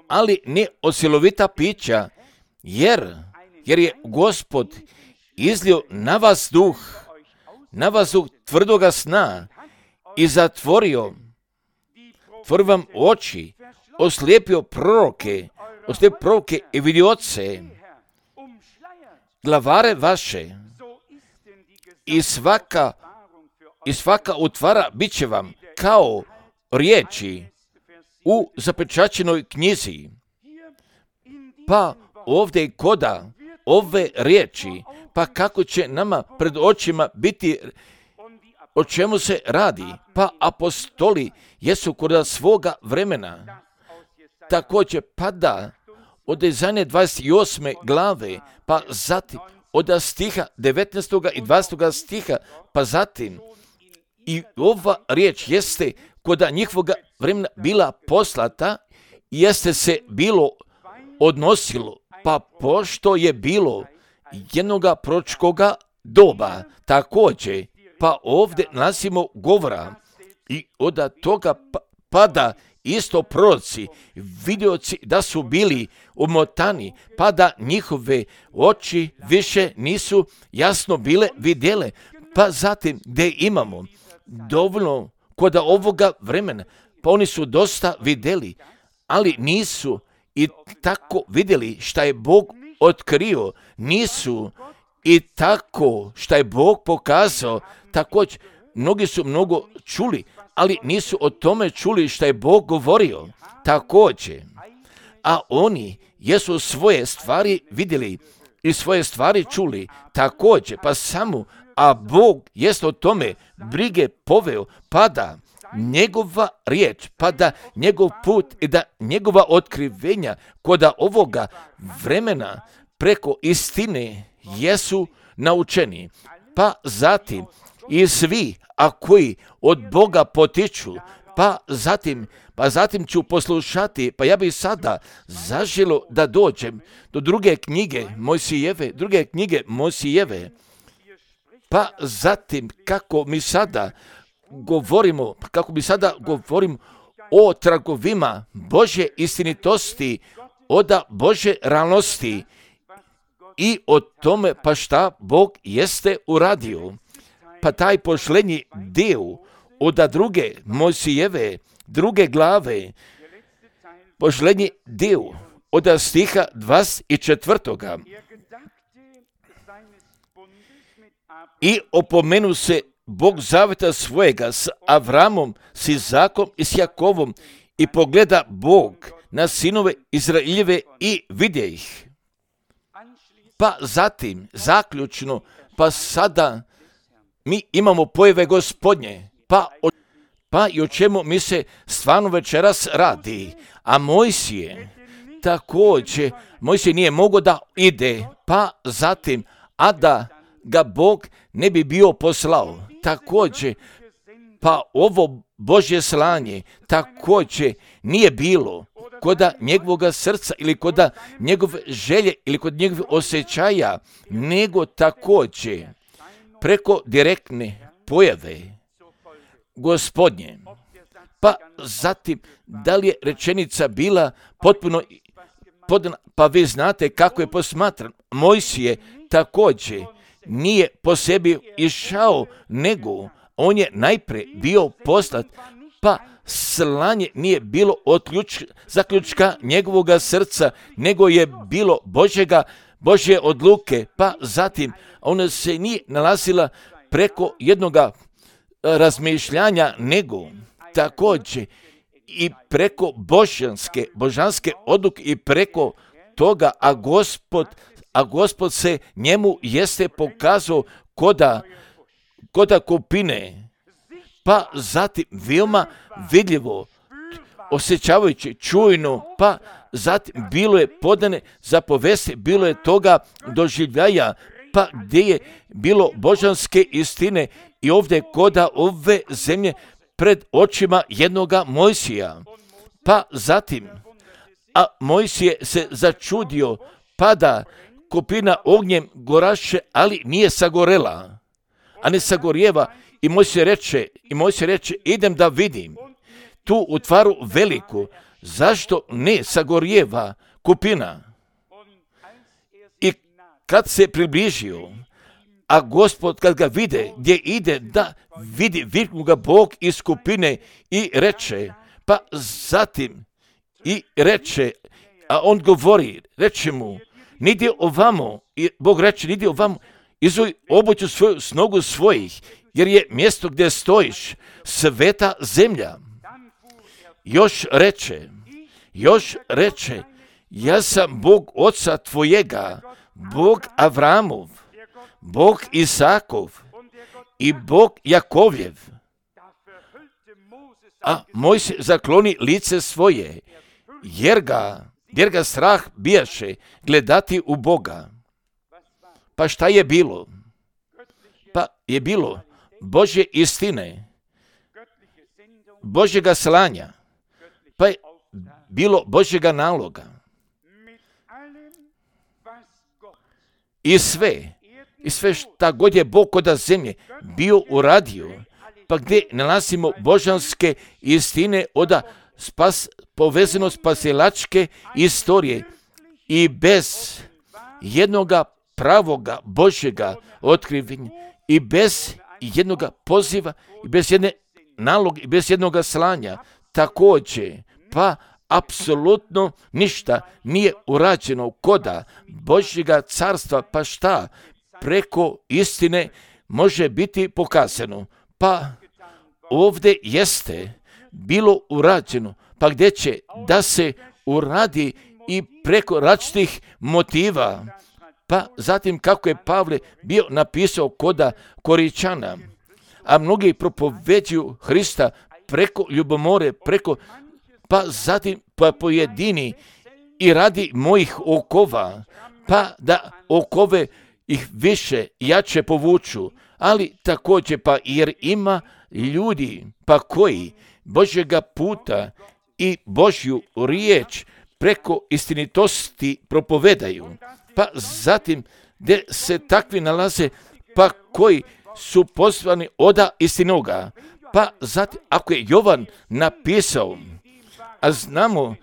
ali ne od silovita pića, jer je Gospod izlio na vas duh tvrdoga sna i zatvorio vam oči, oslijepio proroke i vidioce, glavare vaše, i svaka utvara bit će vam kao riječi u zapečaćenoj knjizi. Pa ovdje koda ove riječi, pa kako će nama pred očima biti, o čemu se radi, pa apostoli jesu kod svoga vremena. Također pada od Izaije 28. glave, pa zatim od stiha 19. i 20. stiha, pa zatim i ova riječ jeste kod njihovoga vremena bila poslata i jeste se bilo odnosilo, pa pošto je bilo jednoga proročkoga doba, također, pa ovdje nalazimo govora i od toga pada isto proroci, vidioci da su bili umotani, pa da njihove oči više nisu jasno bile vidjele, pa zatim gdje imamo dovoljno kod ovoga vremena, pa oni su dosta vidjeli, ali nisu i tako vidjeli šta je Bog otkrio, nisu i tako šta je Bog pokazao, također mnogi su mnogo čuli, ali nisu o tome čuli šta je Bog govorio, također. A oni jesu svoje stvari vidjeli i svoje stvari čuli, također, pa samo, a Bog jest o tome brige poveo, pa da njegova riječ, pa da njegov put i da njegova otkrivenja kod ovoga vremena preko istine jesu naučeni, pa zatim i svi, a koji od Boga potiču, pa zatim ću poslušati, pa ja bih sada zaželo da dođem do druge knjige Mojsijeve, pa zatim kako mi sada govorimo o tragovima Božje istinitosti, od Božje realnosti i o tome pa šta Bog jeste uradio. Pa taj posljednji dio od druge Mojsijeve, druge glave, posljednji dio od stiha 24. I opomenu se Bog zaveta svojega s Avramom, s Izakom i s Jakovom i pogleda Bog na sinove Izraeljeve i vidje ih. Pa zatim, zaključno, pa sada mi imamo pojave Gospodnje, pa i o čemu mi se stvarno večeras radi. A Mojsije, također, Mojsije nije mogao da ide, pa zatim, a da ga Bog ne bi bio poslao. Također, pa ovo Božje slanje također nije bilo kod njegovog srca ili kod njegove želje ili kod njegove osjećaja, nego također preko direktne pojave Gospodnje. Pa zatim, da li je rečenica bila potpuno pa vi znate kako je posmatran. Mojsije također nije po sebi išao, nego on je najprije bio poslat, pa slanje nije bilo zaključka njegovoga srca, nego je bilo Božje odluke, pa zatim ona se nije nalazila preko jednoga razmišljanja, nego također i preko božanske odluke i preko toga, a Gospod se njemu jeste pokazao koda kupine, pa zatim veoma vidljivo, osjećavajući, čujno, pa zatim bilo je podane za povesti, bilo je toga doživljaja, pa gdje je bilo božanske istine i ovdje koda ove zemlje pred očima jednoga Mojsija. Pa zatim, a Mojsije se začudio, pada kupina ognjem goraše, ali nije sagorela, a ne sagorjeva. I Mojsije reče, idem da vidim tu utvaru veliku, zašto ne sagorjeva kupina. I kad se približio, a Gospod kad ga vide gdje ide, da vidi, viknu ga Bog iz kupine i reče, pa zatim i reče, a on govori, reče mu, nidi ovamo, i Bog reče, nidi ovamo, izuj obuću svoju s nogu svojih, jer je mjesto gdje stojiš sveta zemlja. Još reče, ja sam Bog oca tvojega, Bog Avramov, Bog Isakov i Bog Jakovljev. A Mojsije zakloni lice svoje, jer ga strah bijaše gledati u Boga. Pa šta je bilo? Pa je bilo Božje istine, Božjega slanja, pa je bilo Božjega naloga. I sve šta god je Bog koda zemlje bio uradio, pa gdje nalazimo božanske istine oda povezano spasilačke istorije i bez jednoga pravoga Božjega otkrivenja i bez jednoga poziva i bez jedne naloga i bez jednoga slanja također, pa apsolutno ništa nije urađeno koda Božjega carstva, pa šta preko istine može biti pokazano. Pa ovdje jeste bilo urađeno, pa gdje će da se uradi i preko različitih motiva. Pa zatim kako je Pavle bio napisao koda Koričana, a mnogi propoveđuju Hrista preko ljubomore, pa zatim pojedini i radi mojih okova, pa da okove ih više, jače povuču, ali također pa jer ima ljudi pa koji Božjega puta i Božju riječ preko istinitosti propovedaju, pa zatim gdje se takvi nalaze, pa koji su poslani oda istinoga, pa zatim ako je Jovan napisao, znamo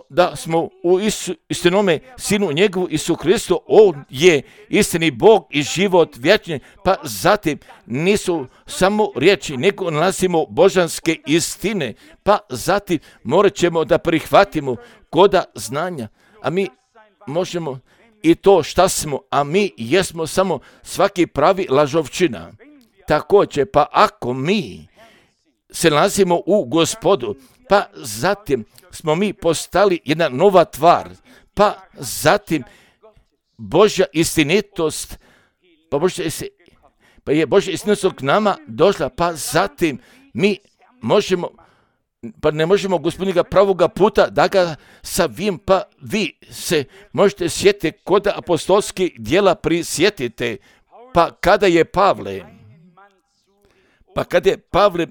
da smo u istinome Sinu njegovu Isu Kristu, on je istini Bog i život vječni, pa zatim nisu samo riječi, nego nalazimo božanske istine, pa zatim morat ćemo da prihvatimo koda znanja, a mi možemo i to šta smo, a mi jesmo samo svaki pravi lažovčina. Također, pa ako mi se nalazimo u Gospodu, pa zatim smo mi postali jedna nova tvar, pa zatim Božja istinitost, pa je Božja istinitost k nama došla, pa zatim mi ne možemo Gospodina pravoga puta da ga savim, pa vi se možete sjetiti kod apostolskih djela prisjetite, pa kada je Pavle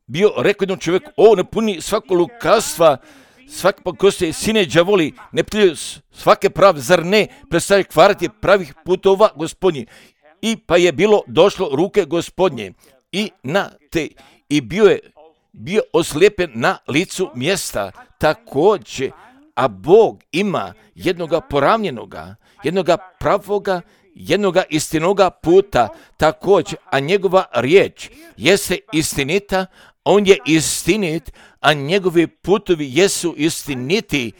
bio rekao jednom čovjeku, ne puni svako lukavstva, svaki pokosti sine đavoli, ne prilju svake prave, zar ne predstavlja kvarati pravih putova Gospodnji. I pa je bilo došlo ruke Gospodnje i na te, i bio je bio oslijepen na licu mjesta, također, a Bog ima jednoga poravnjenoga, jednoga pravoga, jednoga istinoga puta, također, a njegova riječ jeste istinita, on je istinit, a njegovi putovi jesu istiniti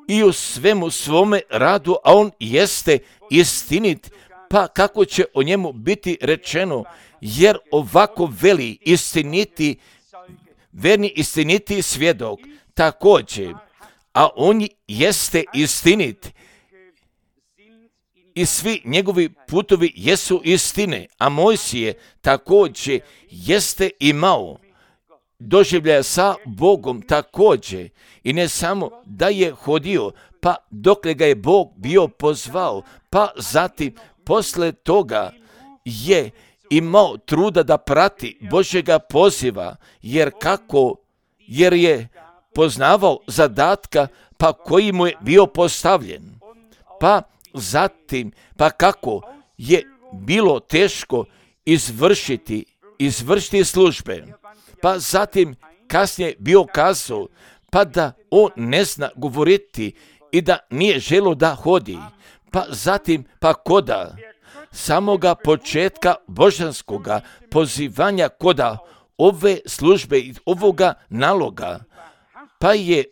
i u svemu svome radu, a on jeste istinit, pa kako će o njemu biti rečeno, jer ovako veli istiniti, verni istiniti svjedok, također, a on jeste istinit i svi njegovi putovi jesu istine, a Mojsije također jeste imao doživljaja sa Bogom također, i ne samo da je hodio, pa dokle ga je Bog bio pozvao, pa zatim posle toga je imao truda da prati Božjega poziva, jer je poznavao zadatka pa koji mu je bio postavljen. Pa zatim, pa kako je bilo teško izvršiti službe. Pa zatim kasnije bio kazao, pa da on ne zna govoriti i da nije želio da hodi. Pa zatim, pa koda samoga početka božanskoga pozivanja, koda ove službe i ovoga naloga, pa je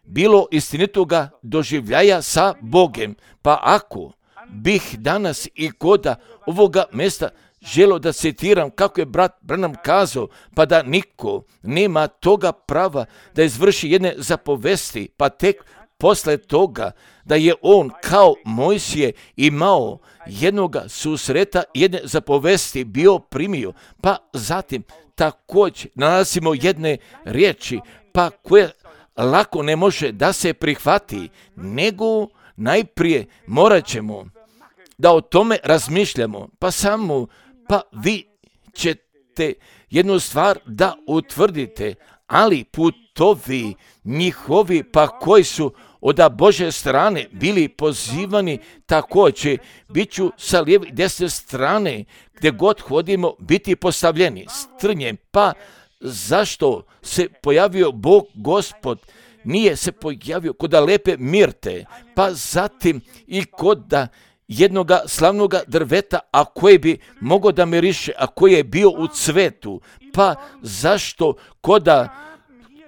bilo istinitoga doživljaja sa Bogem. Pa ako bih danas i koda ovoga mjesta želio da citiram kako je brat Branham kazao, pa da niko nema toga prava da izvrši jedne zapovesti, pa tek posle toga da je on kao Mojsije imao jednoga susreta, jedne zapovesti bio primio, pa zatim također nalazimo jedne riječi, pa koje lako ne može da se prihvati, nego najprije morat ćemo da o tome razmišljamo, pa vi ćete jednu stvar da utvrdite, ali putovi njihovi, pa koji su od Božje strane bili pozivani, također bit ću sa lijeve i desne strane, gdje god hodimo, biti postavljeni strnjem. Pa zašto se pojavio Bog Gospod? Nije se pojavio kod lepe mirte, pa zatim i kod jednoga slavnoga drveta, a koje bi mogao da miriše, a koji je bio u cvetu. Pa zašto koda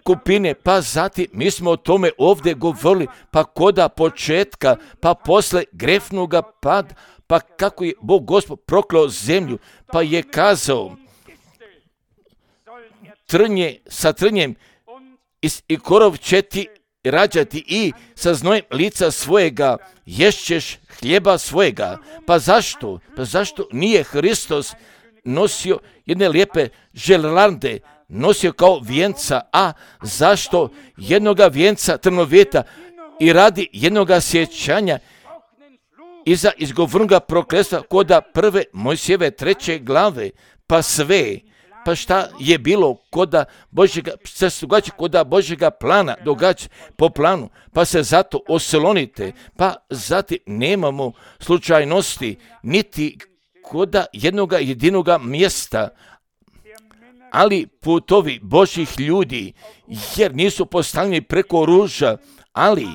kupine, pa zatim mi smo o tome ovdje govorili, pa koda početka, pa posle grefnoga pada, pa kako je Bog Gospod prokleo zemlju, pa je kazao sa trnjem i korov će ti rađati i sa znojem lica svojega ješćeš hljeba svojega. Pa zašto? Pa zašto nije Hristos nosio jedne lijepe želalande, nosio kao vijenca, a zašto jednoga vijenca trnovjeta i radi jednoga sjećanja iza izgovornoga prokletstva koda prve Mojsijeve 3. glave, pa sve, pa šta je bilo koda Božjega, se događa koda Božjega plana, događa po planu, pa se zato oslonite, pa zatim nemamo slučajnosti, niti koda jednoga jedinoga mjesta, ali putovi Božjih ljudi, jer nisu postavljeni preko ruža, ali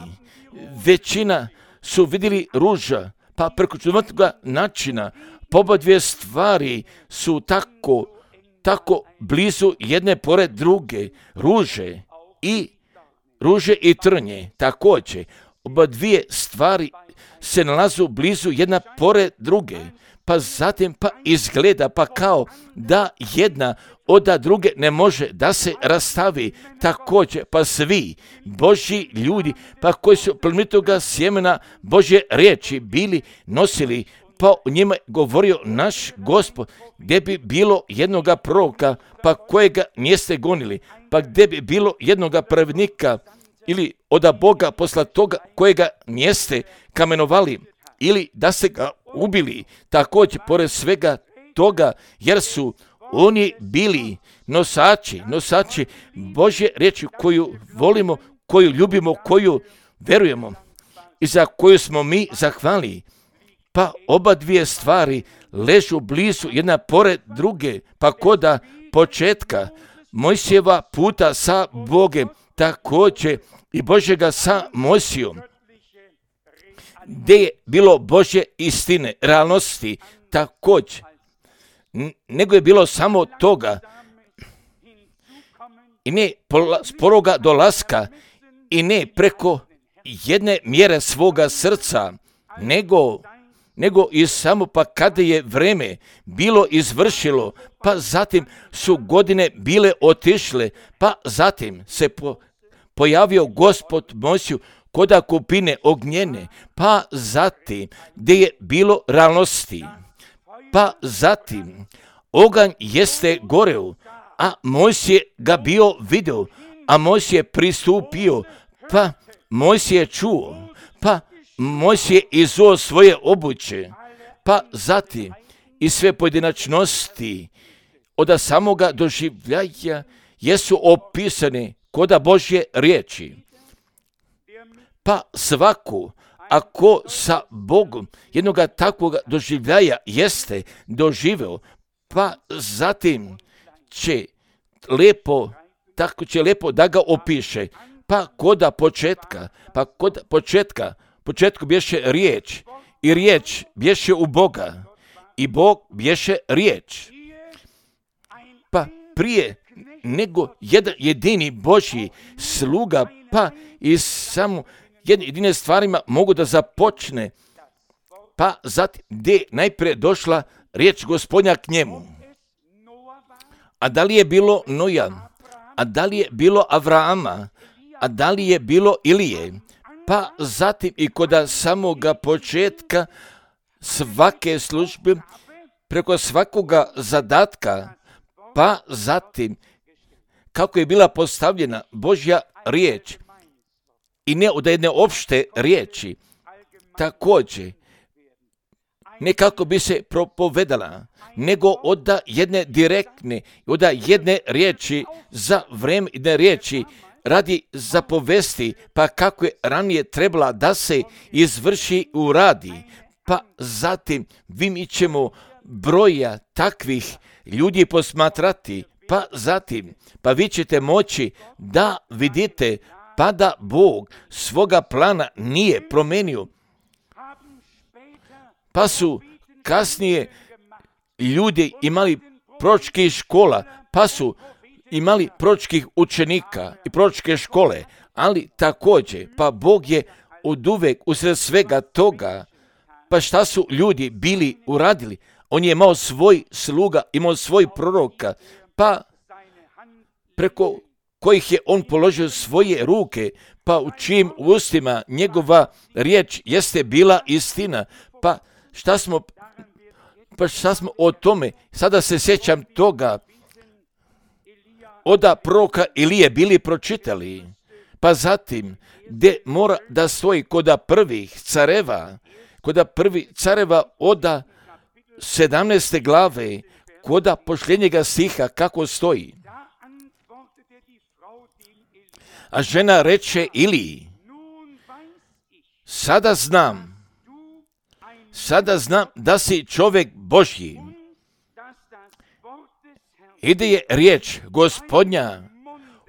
većina su vidjeli ruža, pa preko čudnovatnog načina, oba dvije stvari su tako blizu jedne pored druge, ruže i trnje, također, oba dvije stvari se nalazu blizu jedna pored druge, pa zatim pa izgleda pa kao da jedna od druge ne može da se rastavi, također pa svi Božji ljudi, pa koji su plemenitoga sjemena Božje riječi bili nosili, pa o njima govorio naš Gospod, gdje bi bilo jednoga proroka, pa kojega niste gonili, pa gdje bi bilo jednoga pravednika ili od Boga posla toga kojega niste kamenovali ili da ste ga ubili, također pored svega toga, jer su oni bili nosači Božje riječi koju volimo, koju ljubimo, koju verujemo i za koju smo mi zahvalni. Pa oba dvije stvari ležu blizu jedna pored druge, pa koda početka Mojsijeva puta sa Bogem, također i Božjega sa Mojsijom, gdje je bilo Božje istine, realnosti, također. Nego je bilo samo toga i ne sporoga dolaska i ne preko jedne mjere svoga srca, nego i samo pa kada je vreme bilo izvršilo, pa zatim su godine bile otišle, pa zatim se pojavio Gospod Mojsiju koda kupine ognjene, pa zatim gdje je bilo realnosti, pa zatim oganj jeste goreo, a Mojsije ga bio video, a Mojsije pristupio, pa Mojsije čuo, pa Mojsije izuo svoje obuće, pa zatim i sve pojedinačnosti od samoga doživljaja jesu opisane koda Božje riječi. Pa svaku, ako sa Bogom jednoga takvog doživljaja jeste doživeo, pa zatim će lepo, tako će lepo da ga opiše. Pa koda početku bješe riječ, i riječ bješe u Boga, i Bog bješe riječ. Pa prije nego jedan jedini Božji sluga, pa i samo jedine stvarima mogu da započne, pa zatim gdje najprije došla riječ Gospodnja k njemu. A da li je bilo Noja, a da li je bilo Avrama, a da li je bilo Ilije, pa zatim i kod samoga početka svake službe, preko svakoga zadatka, pa zatim kako je bila postavljena Božja riječ i ne od jedne opšte riječi, također ne kako bi se propovedala, nego od jedne direktne, od jedne riječi za vreme jedne riječi radi zapovesti, pa kako je ranije trebala da se izvrši u radi, pa zatim mi ćemo broja takvih ljudi posmatrati, pa zatim, pa vi ćete moći da vidite, pa da Bog svoga plana nije promenio. Pa su kasnije ljudi imali proročkih škola, pa su imali proročkih učenika i proročke škole, ali također, pa Bog je oduvek usred svega toga, pa šta su ljudi bili uradili? On je imao svoj sluga, imao svoj proroka, pa preko kojih je on položio svoje ruke, pa u čijim ustima njegova riječ jeste bila istina. Pa šta smo o tome, sada se sjećam toga, oda proroka Ilije bili pročitali, pa zatim gdje mora da stoji koda prvih careva oda 17. glave, koda posljednjega stiha kako stoji. A žena reče Iliji, sada znam da si čovjek Božji i da je riječ Gospodnja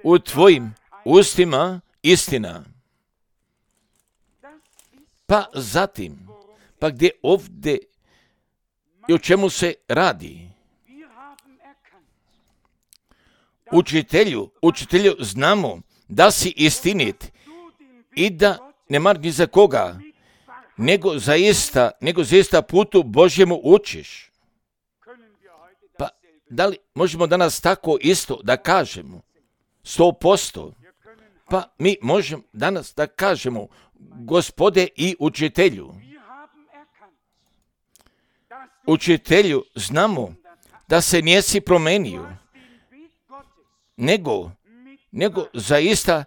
u tvojim ustima istina. Pa zatim, pa gdje ovdje i o čemu se radi? Učitelju znamo da si istinit i da ne mar ni za koga, nego zaista putu Božjemu učiš. Pa da li možemo danas tako isto da kažemo? 100%. Pa mi možemo danas da kažemo Gospode i učitelju. Učitelju znamo da se nisi promenio, nego zaista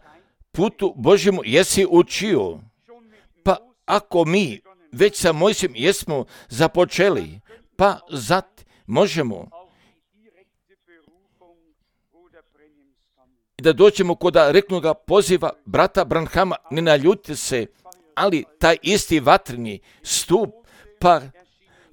putu Božjemu jesi učio. Pa ako mi već sa Mojsijem jesmo započeli, pa možemo da dođemo kod reknoga poziva brata Branhama, ne naljutite se, ali taj isti vatreni stup, pa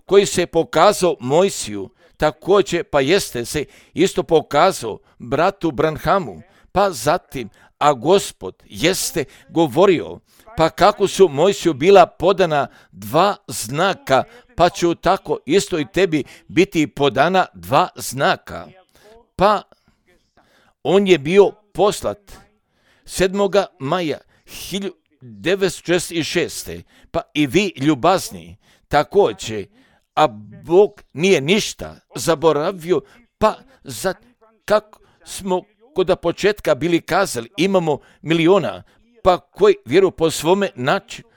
koji se pokazao Mojsiju, također pa jeste se isto pokazao bratu Branhamu, pa zatim, a Gospod jeste govorio, pa kako su Mojsiju bila podana 2 znaka, pa će tako isto i tebi biti podana 2 znaka. Pa on je bio poslat 7. maja 1946. Pa i vi ljubazni također, a Bog nije ništa zaboravio, pa kako smo kod početka bili kazali, imamo miliona, pa koji vjeruju po svome načinu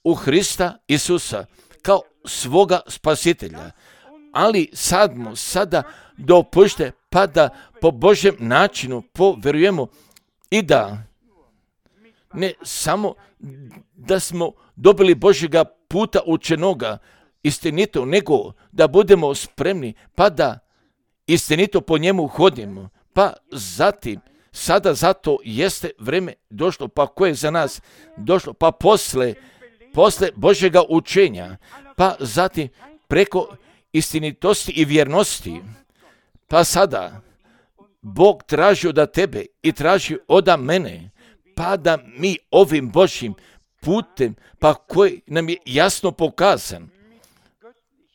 u Hrista Isusa kao svoga spasitelja. Ali sada dopušte pa da po Božjem načinu povjerujemo i da ne samo da smo dobili Božjega puta učenoga istinito, nego da budemo spremni pa da istinito po njemu hodimo. Pa zatim, sada zato jeste vrijeme došlo, pa koje je za nas došlo, pa posle Božjega učenja, pa zatim preko istinitosti i vjernosti, pa sada Bog traži od tebe i traži od mene, pa da mi ovim Božjim putem, pa koji nam je jasno pokazan,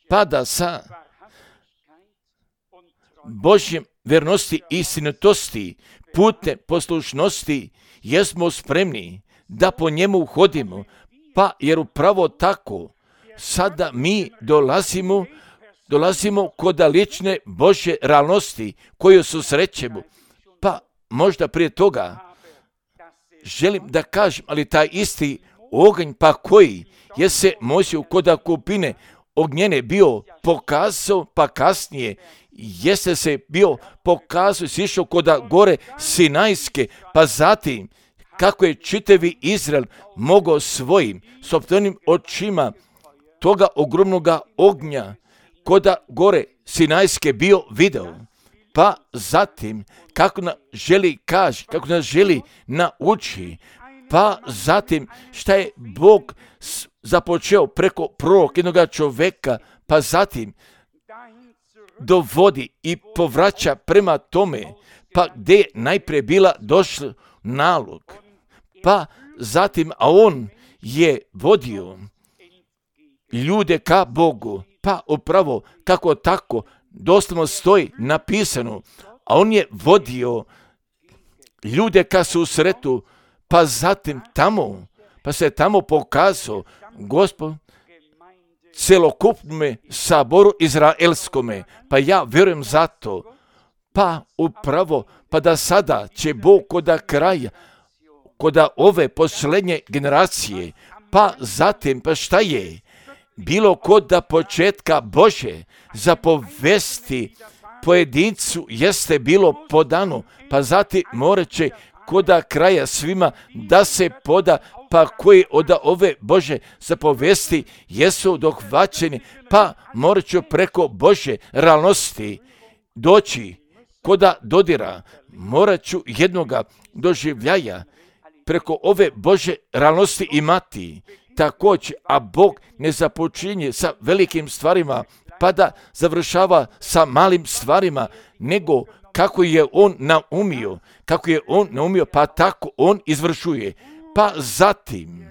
pa da sa Božjim vjernosti i istinitosti, putem poslušnosti, jesmo spremni da po njemu hodimo, pa jer upravo tako sada mi dolazimo kod lične Božje realnosti koju susrećemo. Pa možda prije toga želim da kažem, ali taj isti oganj pa koji je se Mojsiju kod kupine ognjene bio pokazao, pa kasnije jeste se bio pokazao, sišao kod gore Sinajske, pa zatim kako je čitavi Izrael mogao svojim sopstvenim očima toga ogromnoga ognja kod gore Sinajske bio video. Pa zatim kako nas želi kaži, kako nas želi nauči, pa zatim šta je Bog započeo preko prvog jednog čovjeka, pa zatim dovodi i povraća prema tome, pa gdje je najprije bila došla nalog, pa zatim, a on je vodio ljude ka Bogu, pa upravo kako tako doslovno stoji napisano, a on je vodio ljude ka susretu, pa zatim tamo, pa se tamo pokazao Gospod celokupnome saboru izraelskome, pa ja vjerujem zato, pa upravo, pa da sada će Bog kod kraja, kod ove posljednje generacije, pa zatim, pa šta je bilo kod početka Bože zapovesti pojedincu jeste bilo podano, pa zatim morat će kod kraja svima da se poda, pa koji od ove Bože zapovesti jesu dohvaćeni, pa morat ću preko Bože realnosti doći kod dodira, morat ću jednoga doživljaja preko ove Bože realnosti imati. Također, a Bog ne započinje sa velikim stvarima, pa da završava sa malim stvarima, nego kako je on naumio, pa tako on izvršuje. Pa zatim,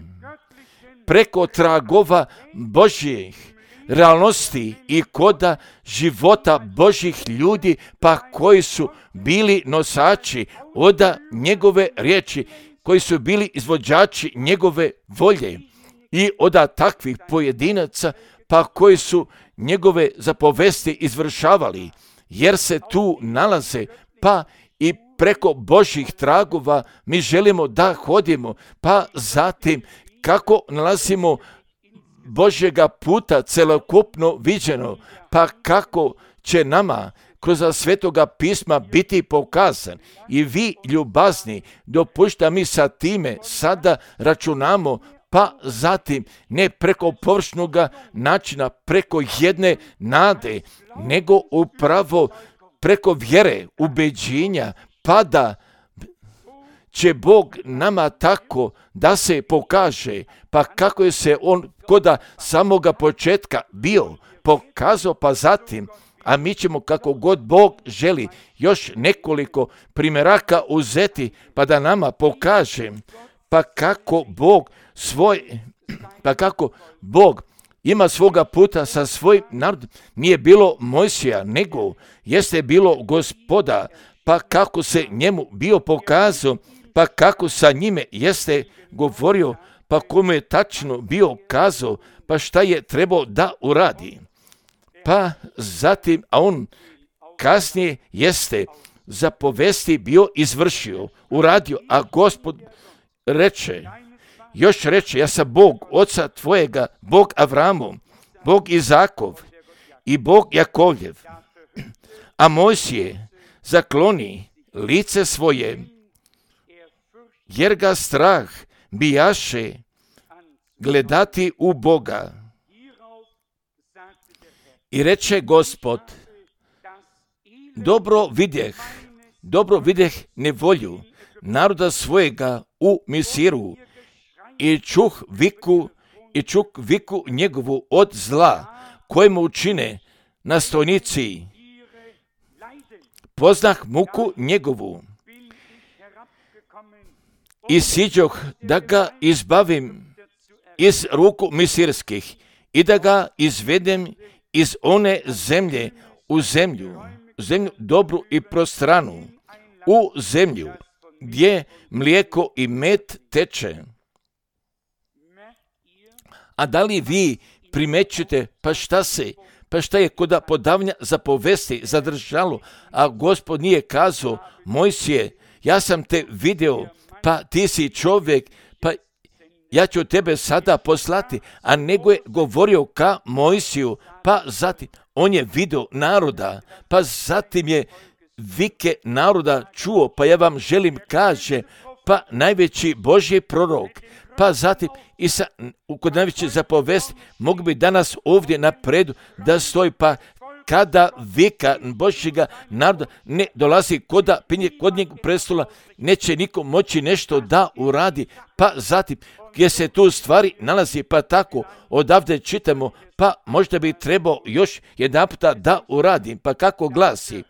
preko tragova Božjih realnosti i koda života Božjih ljudi, pa koji su bili nosači od njegove riječi, koji su bili izvođači njegove volje i od takvih pojedinaca, pa koji su njegove zapovesti izvršavali, jer se tu nalaze, pa i preko Božjih tragova mi želimo da hodimo, pa zatim kako nalazimo Božjega puta celokupno viđeno, pa kako će nama kroz Svetoga pisma biti pokazan. I vi ljubazni, dopušta mi sa time sada računamo, pa zatim ne preko površnoga načina, preko jedne nade, nego upravo preko vjere, ubeđenja, pa da će Bog nama tako da se pokaže, pa kako je se on kod samoga početka bio pokazao, pa zatim, a mi ćemo kako god Bog želi još nekoliko primjeraka uzeti pa da nama pokaže pa kako Bog ima svoga puta sa svojim narodom. Nije bilo Mojsija, nego jeste bilo Gospoda, pa kako se njemu bio pokazao, pa kako sa njime jeste govorio, pa kome je tačno bio kazao, pa šta je trebao da uradi. Pa zatim, a on kasnije jeste zapovesti bio izvršio, uradio, a Gospod reče, ja sam Bog oca tvojega, Bog Avramov, Bog Izakov i Bog Jakovljev. A Mojsije zakloni lice svoje, jer ga strah bijaše gledati u Boga. I reče Gospod, dobro vidjeh nevolju naroda svojega u Misiru i čuh viku njegovu od zla kojemu učine nastojnici. Poznah muku njegovu i siđoh da ga izbavim iz ruku misirskih i da ga izvedem iz one zemlje u zemlju dobru i prostranu, u zemlju gdje mlijeko i med teče. A da li vi primećujete pa šta je kod podavanja zapovesti zadržalo, a Gospod nije kazao, Mojsije, ja sam te video, pa ti si čovjek, pa ja ću tebe sada poslati, a nego je govorio ka Mojsiju, pa zatim on je video naroda, pa zatim je vike naroda čuo, pa ja vam želim kaže, pa najveći Božji prorok, pa zatim i kod najveće zapovesti mogu bi danas ovdje napredu da stoji, pa kada vika Božjega naroda ne dolazi kod njeg prestola, neće niko moći nešto da uradi, pa zatim gdje se tu stvari nalazi, pa tako odavde čitamo, pa možda bi trebao još jedan puta da uradim, pa kako glasi.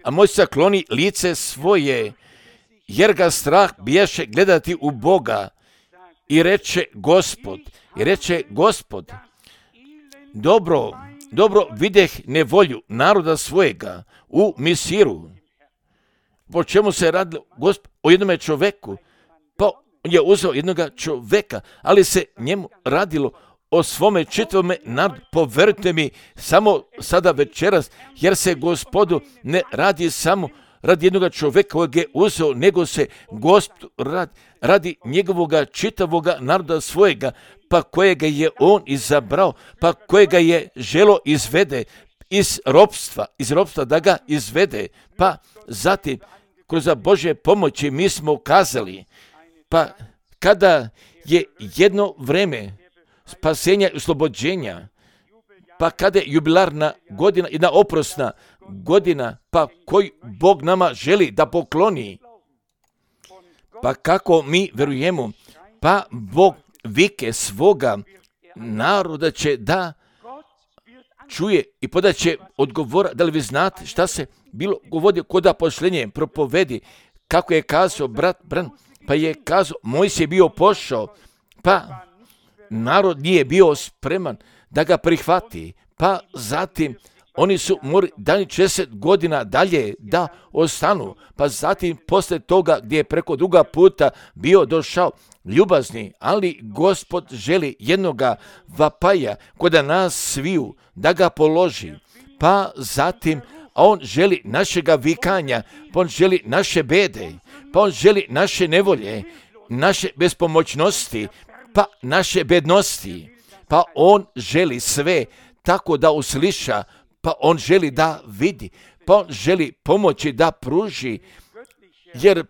A Mojsije zakloni lice svoje, jer ga strah bijaše gledati u Boga. I reče Gospod, dobro vidjeh nevolju naroda svojega u Misiru. Po čemu se radilo Gospod? O jednome čoveku. Pa on je uzeo jednoga čoveka, ali se njemu radilo o svome čitavome narodu. Povjerujte mi samo sada večeras, jer se Gospodu ne radi samo radi jednoga čovjeka kojeg je uzeo, nego se Gospod radi njegovoga čitavoga naroda svojega, pa kojega je on izabrao, pa kojega je želo izvede iz ropstva da ga izvede, pa zatim kroz Božje pomoći mi smo kazali, pa kada je jedno vreme spasenja i oslobođenja, pa kada je jubilarna godina, jedna oprosna godina, pa koji Bog nama želi da pokloni, pa kako mi verujemo, pa Bog vike svoga naroda će da čuje i podaće odgovora. Da li vi znate šta se bilo govorio kod pošlenje propovedi, kako je kazao brat Bran, pa je kazao Mojsije je bio pošao, pa narod nije bio spreman da ga prihvati, pa zatim oni su morali 60 godina dalje da ostanu, pa zatim posle toga gdje je preko druga puta bio došao ljubazni, ali Gospod želi jednoga vapaja kod nas sviju da ga položi, pa zatim a on želi našega vikanja, pa on želi naše bede, pa on želi naše nevolje, naše bespomoćnosti, pa naše bednosti, pa on želi sve tako da usliša, pa on želi da vidi, pa on želi pomoći da pruži, jer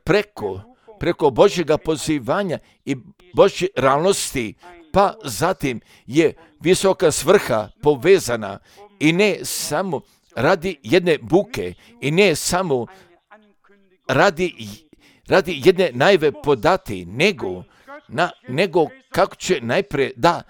preko Božjega pozivanja i Božje realnosti, pa zatim je visoka svrha povezana i ne samo radi jedne buke i ne samo radi jedne najave podati, nego kako će najprije da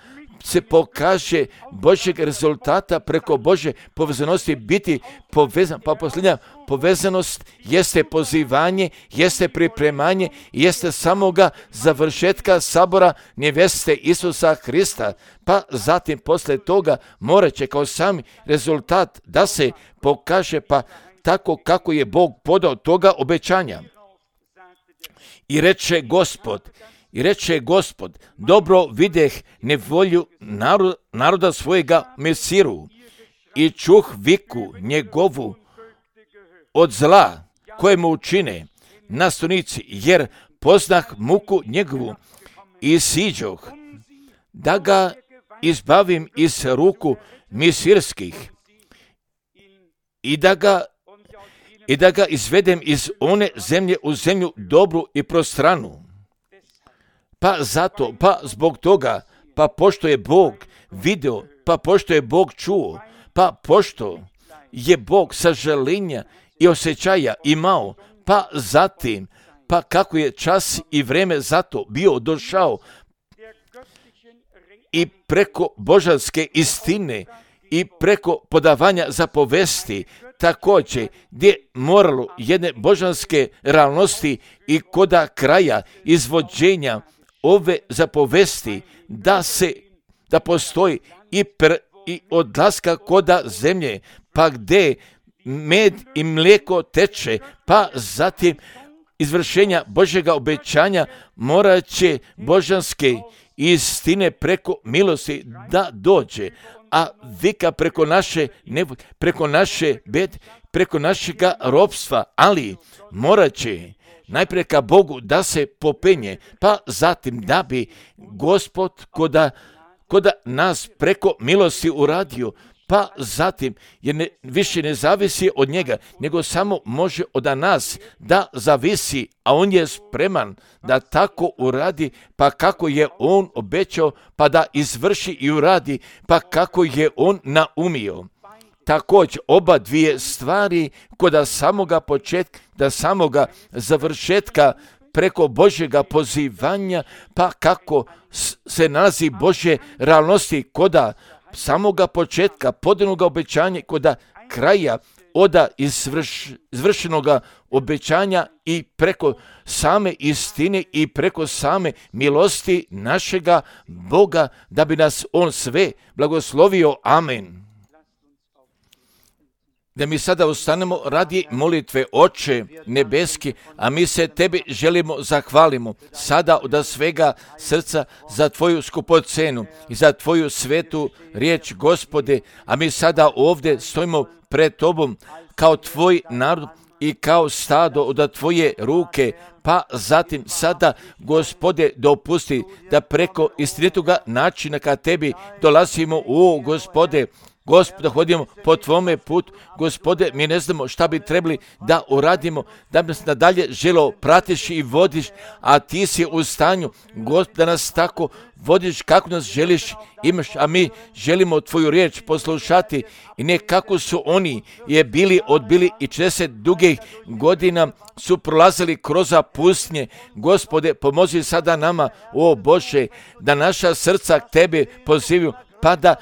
se pokaže Božjeg rezultata preko Božje povezanosti biti povezan. Pa posljednja povezanost jeste pozivanje, jeste pripremanje, jeste samoga završetka sabora neveste Isusa Hrista. Pa zatim poslije toga morat će kao sami rezultat da se pokaže pa tako kako je Bog podao toga obećanja. I reče Gospod, dobro videh nevolju naroda svojega Mesiru i čuh viku njegovu od zla koje mu učine nastavnici, jer poznah muku njegovu i siđoh, da ga izbavim iz ruku misirskih i da ga izvedem iz one zemlje u zemlju dobru i prostranu. Pa zato, pa zbog toga, pa pošto je Bog video, pa pošto je Bog čuo, pa pošto je Bog sažaljenja i osjećaja imao, pa zatim, pa kako je čas i vreme zato bio došao i preko božanske istine i preko podavanja zapovesti, također gdje moralo jedne božanske realnosti i koda kraja izvođenja ove zapovesti da postoji i odlaska koda zemlje, pa gdje med i mlijeko teče, pa zatim izvršenja Božjega obećanja morat će božanske istine preko milosti da dođe, a vika preko naše bed, preko našega ropstva, ali morat će najprije ka Bogu da se popenje, pa zatim da bi Gospod koda nas preko milosti uradio, pa zatim jer više ne zavisi od njega, nego samo može od nas da zavisi, a on je spreman da tako uradi, pa kako je on obećao, pa da izvrši i uradi, pa kako je on naumio. Također oba dvije stvari kod samoga početka, da samoga završetka preko Božjega pozivanja, pa kako se nalazi Božje realnosti koda samoga početka, podanog obećanja, koda kraja oda izvršenoga obećanja i preko same istine i preko same milosti našega Boga, da bi nas on sve blagoslovio. Amen. Da mi sada ustanemo radi molitve. Oče nebeski, a mi se tebi želimo zahvalimo sada od svega srca za tvoju skupocenu i za tvoju svetu riječ, Gospode, a mi sada ovdje stojimo pred tobom kao tvoj narod i kao stado od tvoje ruke, pa zatim sada, Gospode, dopusti da preko istinitoga načina ka tebi dolazimo, Gospode, Gospode, hodimo po tvome putu. Gospode, mi ne znamo šta bi trebali da uradimo, da nas nadalje želo pratiš i vodiš, a ti si u stanju, Gospod, da nas tako vodiš kako nas želiš imaš, a mi želimo tvoju riječ poslušati i ne kako su oni je bili odbili i 40 dugih godina su prolazili kroz pustinje. Gospode, pomozi sada nama, o Bože, da naša srca k tebi pozivaju, pa da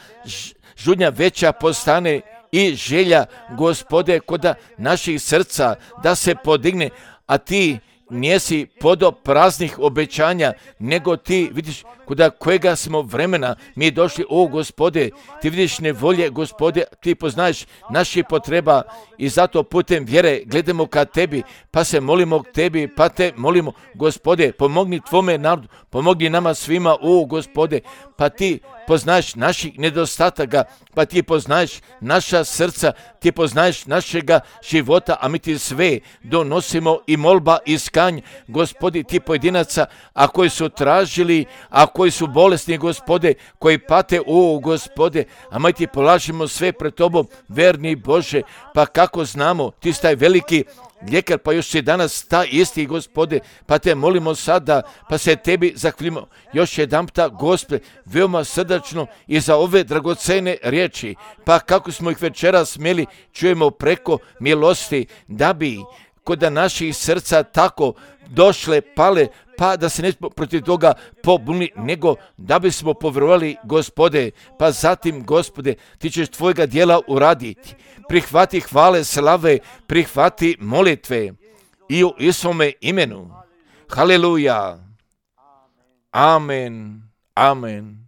žudnja veća postane i želja, Gospode, koda naših srca da se podigne, a ti nisi podo praznih obećanja, nego ti vidiš kuda kojega smo vremena mi došli, Gospode, ti vidiš nevolje, Gospode, ti poznaješ naših potreba i zato putem vjere gledamo ka tebi, pa se molimo k tebi, pa te molimo, Gospode, pomogni tvome narodu, pomogni nama svima, Gospode, pa ti poznaješ naših nedostataka, pa ti poznaješ naša srca, ti poznaješ našega života, a mi ti sve donosimo i molba i skanj, Gospodi, ti pojedinaca, a koji su tražili, a koji su bolesni, Gospode, koji pate, Gospode, a mi ti polažimo sve pred tobom, verni Bože, pa kako znamo, ti si taj veliki lijekar, pa još si danas ta isti, Gospode, pa te molimo sada, pa se tebi zahvalimo još jedanputa, Gospode, veoma srdačno i za ove dragocene riječi, pa kako smo ih večeras smjeli čujemo preko milosti, da bi kod da naših srca tako došle, pale, pa da se ne protiv toga pobuni, nego da bismo povjerovali, Gospode, pa zatim, Gospode, ti ćeš tvojega djela uraditi. Prihvati hvale, slave, prihvati molitve i u Isuvome imenu. Haleluja. Amen. Amen.